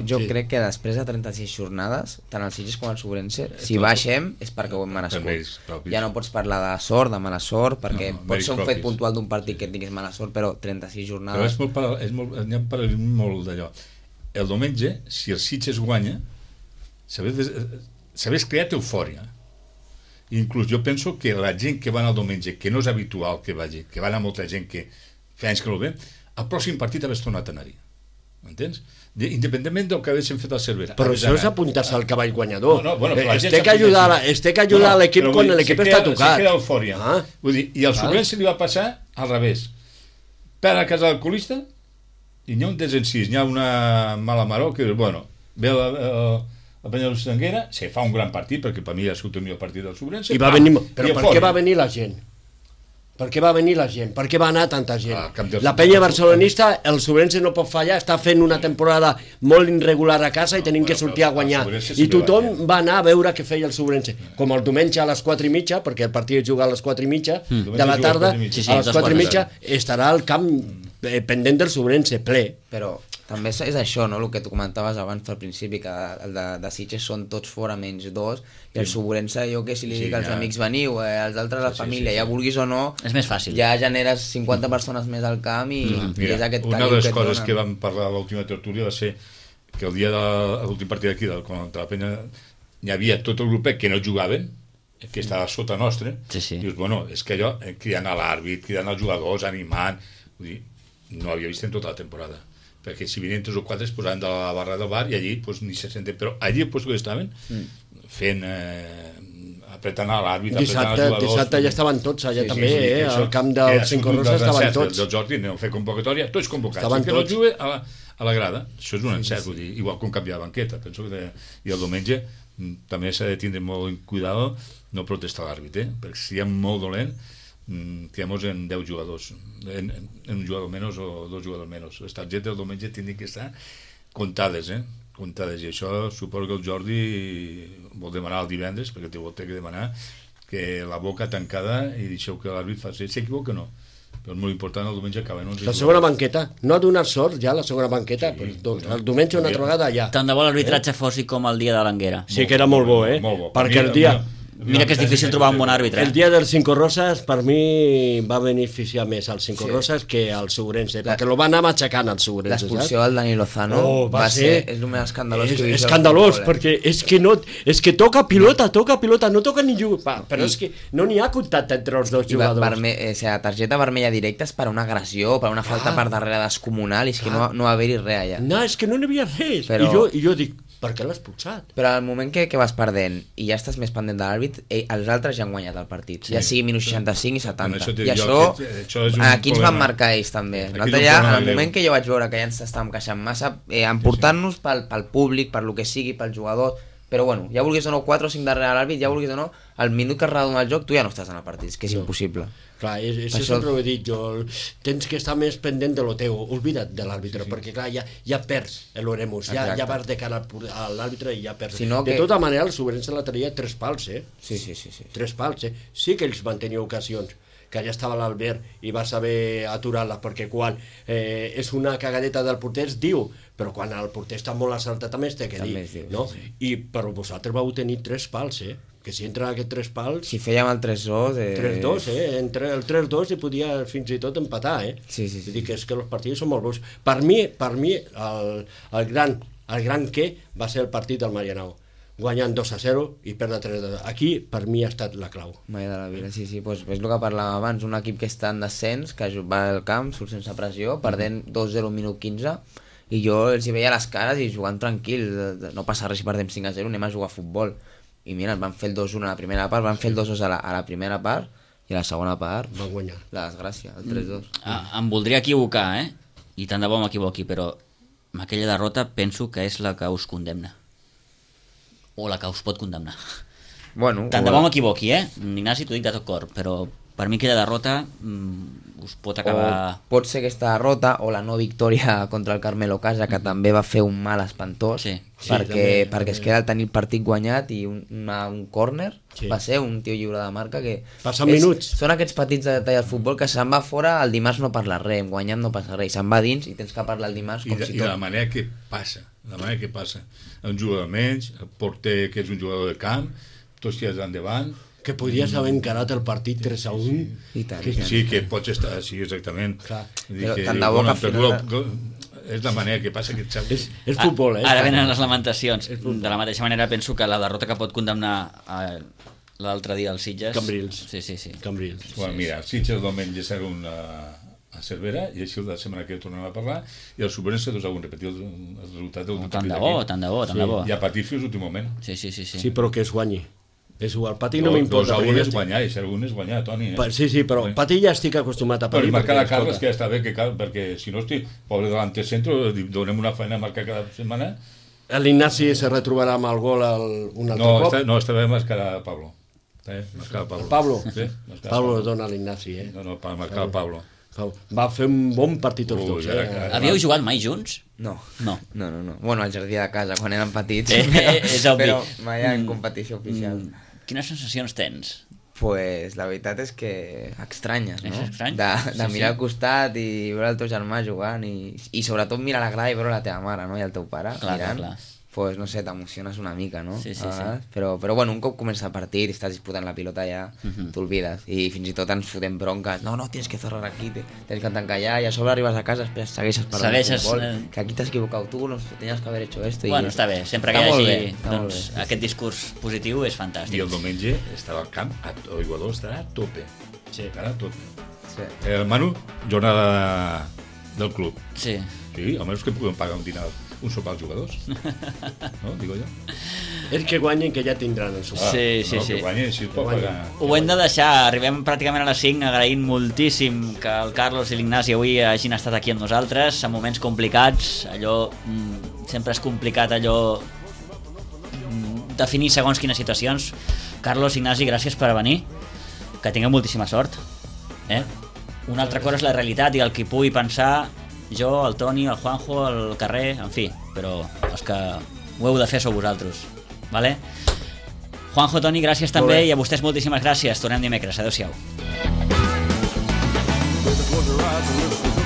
Jo crec que després de 36 jornades, tant el Sitges com el Sobrense, si baixem és perquè ho hem merescut. Ja no pots parlar de sort, de mala sort, perquè pot ser un fet puntual d'un partit que tinguis mala sort, però 36 jornades... Però n'hi ha un paral·lelisme molt d'allò. El diumenge, si el Sitges guanya, s'hagués creat eufòria. Inclús jo penso que la gent que va anar el diumenge, que no és habitual que vagi, que va anar molta gent que fa anys que no ve, el pròxim partit hagués tornat a anar-hi. M'entens? Independentment del que haguéssim fet al Cervera. Però això és apuntar-se al cavall guanyador. Es té que ajudar l'equip quan l'equip està tocat. Se queda eufòria. I al Sobrense li va passar al revés. Per a casa del colista i n'hi ha un desencís, n'hi ha una mala maró que dius, bueno, ve el Penyarol Estanguera, se fa un gran partit, perquè per mi ha sigut el millor partit del Sobrense. Però per què va venir la gent? Per què va venir la gent? Per què va anar tanta gent? La penya barcelonista, el Sobrense no pot fallar, està fent una temporada molt irregular a casa i tenim que sortir a guanyar. I tothom va anar a veure què feia el Sobrense. Com el diumenge a les 4:30, perquè el partit es juga a les 4:30 de la tarda, a les 4:30 estarà al camp pendent del Sobrense, ple. Però també és això, no? El que tu comentaves abans al principi, que el de Sitges són tots fora menys 2, i el Sobrense, jo que si li dic als amics veniu, els altres a la família, ja vulguis o no, és més fàcil. Ja generes 50 persones més al camp i és aquest una de les coses que vam parlar a l'última tertúlia va ser que el dia de l'últim partit d'aquí, contra la penya, hi havia tot el grupet que no jugaven, que estava sota nostre, i dius, bueno, és que allò, cridant a l'àrbit, cridant als jugadors, animant, vull dir, no havia vist en tota la temporada, perquè si venien 3 o 4 es posaven de la barra del bar i allí ni se senten, però allí el que estaven fent apretant a l'àrbit, apretant als jugadors. Dissabte ja estaven tots allà també, al camp del Cinco Roses estaven tots. El Jordi aneu a fer convocatòria, tots convocats, que no jugui a la grada, això és un encert, vull dir, igual com canviar de banqueta, penso que i el diumenge també s'ha de tindre molt cuidado no protestar l'àrbit, perquè si hi ha molt dolent quedamos en 10 jugadors, en un jugador menys o 2 jugadors menys. Les targetes del diumenge tindran que estar comptades, comptades, i això suposo que el Jordi vol demanar el divendres, perquè té que demanar que la boca tancada i deixeu que l'àrbit faci, s'equivoca o no, però és molt important, el diumenge acaben 11 La segona banqueta, no ha donat sort ja la segona banqueta, sí, doncs el diumenge una altra vegada allà. Tant de bo l'arbitratge fos com el dia de l'Anguera. Sí que era molt bo, molt bo. Perquè el dia... Mira que és difícil trobar un bon àrbitre. El dia del Cinco Roses per mi va beneficiar més al Cinco Roses que al Segurense, perquè lo va anar matxacant al Segurense. L'expulsió del Dani Lozano va ser és el més escandalós que he vist. Escandalós, perquè és que toca pilota, no toca ningú, però és que no n'hi ha contacte entre els dos jugadors. Targeta vermella directa és per una agressió, per una falta per darrere descomunal, i és que no va haver-hi res allà. No, és que no n'hi havia res, i jo dic, per què l'ha expulsat? Però al moment que vas perdent i ja estàs més pendent de l'àrbit, els altres ja han guanyat el partit, ja sigui minut 65 i 70, i això aquí ens van marcar ells també. Nosaltres ja, al moment que jo vaig veure que ja ens estàvem queixant massa, emportant-nos pel públic, per lo que sigui, pel jugador, però bueno, ja vulguis o no 4 o 5 darrere l'àrbit, ja vulguis o no, al minut que es redona el joc tu ja no estàs en el partit, és que és impossible. Clar, això sempre ho he dit jo, tens que estar més pendent de lo teu, oblida't de l'àrbitre, perquè clar, ja perds l'oremus, ja vas de cara a l'àrbitre i ja perds. De tota manera el Segurense la tenia 3 pals, Sí. 3 pals, sí que ells van tenir ocasions, que allà estava l'Albert i va saber aturar-la, perquè quan és una cagadeta del porter es diu, però quan el porter està molt acertat també es té que dir, no? I però vosaltres vau tenir 3 pals, que si entren aquests 3 pals... Si fèiem el 3-2... 3-2, entre el 3-2 i podia fins i tot empatar, Sí. Vull dir que és que els partits són molt bons. Per mi el gran què va ser el partit del Marianao, guanyant 2-0 i perdre 3-2. Aquí, per mi, ha estat la clau. Mai de la vida, sí, doncs és el que parlàvem abans, un equip que està en descens, que va al camp, surt sense pressió, perdent 2-0 minut 15, i jo els hi veia les cares i jugant tranquils, no passa res si perdem 5-0, anem a jugar a futbol. I mira, van fer el 2-1 a la primera part, van fer el 2-2 a la primera part, i a la segona part van guanyar. La desgràcia, el 3-2. Em voldria equivocar, i tant de bo m'equivoqui, però amb aquella derrota penso que és la que us condemna. O la que us pot condemnar. Bueno, tant de bo m'equivoqui, Ignasi, t'ho dic de tot cor, però per mi aquella derrota us pot acabar... O pot ser aquesta derrota o la no victòria contra el Carmelo Casa, que també va fer un mal espantós, perquè es queda el tenir el partit guanyat i un córner, va ser un tio lliure de marca que... Passen minuts. Són aquests petits detalls del futbol que se'n va fora, el dimarts no parla res, guanyant no passa res, se'n va dins i tens que parlar el dimarts com si tot... I la manera que passa, un jugador menys, el porter que és un jugador de camp, tots tirats endavant... Que podries haver encarat el partit 3-1. Sí, que pots estar... Sí, exactament. Tant de bo que final... És la manera que passa que et sap... És futbol, Ara venen les lamentacions. De la mateixa manera penso que la derrota que pot condemnar l'altre dia als Sitges... Cambrils. Sí. Cambrils. Bueno, mira, els Sitges diumenge seran a Cervera i així la setmana que tornem a parlar i el Subrense haurem repetir el resultat del tant de bo. I a patir fins l'últim moment. Sí, però que es guanyi. És igual, patir no m'importa. 2-1 és guanyar, i si algun és guanyar, Toni. Sí, però patir ja estic acostumat a patir. Però marcar a Carles, que ja està bé, perquè si no estic, pobre delanter centro, donem una feina a marcar cada setmana. L'Ignasi se retrobarà amb el gol un altre cop? No, està bé marcar a Pablo. Pablo? Pablo dona a l'Ignasi, No, per marcar a Pablo. Va fer un bon partit tots dos. Havíeu jugat mai junts? No. Bueno, al jardí de casa, quan érem petits. És obvi. Però mai en competició oficial. Quines sensacions tens? Pues la veritat és que estranyes, no? És estrany? De mirar al costat i veure el teu germà jugant i sobretot mirar la grada i veure la teva mare, no? I el teu pare mirant. Pues no sé, t'emociones una mica, no? Sí. Però bueno, un cop comença el partit i estàs disputant la pilota ja, t'olvides. I fins i tot ens fotem bronques. No, tens que cerrar aquí, tens que tancar allà, i a sobre arribes a casa, segueixes parlant de futbol, que aquí t'has equivocat tu, no tenies que haver hecho esto. Bueno, està bé, sempre que hi hagi aquest discurs positiu és fantàstic. I el diumenge estava al camp, el jugador estarà a tope. Estarà a tope. El Manu, jornada del club. Sí, almenys que puguem pagar un dinar, un sopar als jugadors. No, digo jo. És que guanyen, que ja tindran el sopar. Sí. Que guanyen, si pot pagar. Ho hem de deixar, arribem pràcticament a les 5, agraint moltíssim que el Carlos i l'Ignasi avui hagin estat aquí amb nosaltres, en moments complicats, sempre és complicat definir segons quines situacions. Carlos, Ignasi, gràcies per venir, que tingueu moltíssima sort. Una altra cosa és la realitat i el que pugui pensar jo, el Toni, el Juanjo, al carrer, en fi, però els que ho heu de fer sou vosaltres, vale? Juanjo, Toni, gràcies també, i a vostès moltíssimes gràcies. Tornem dimecres, adeu-siau. your eyes and listen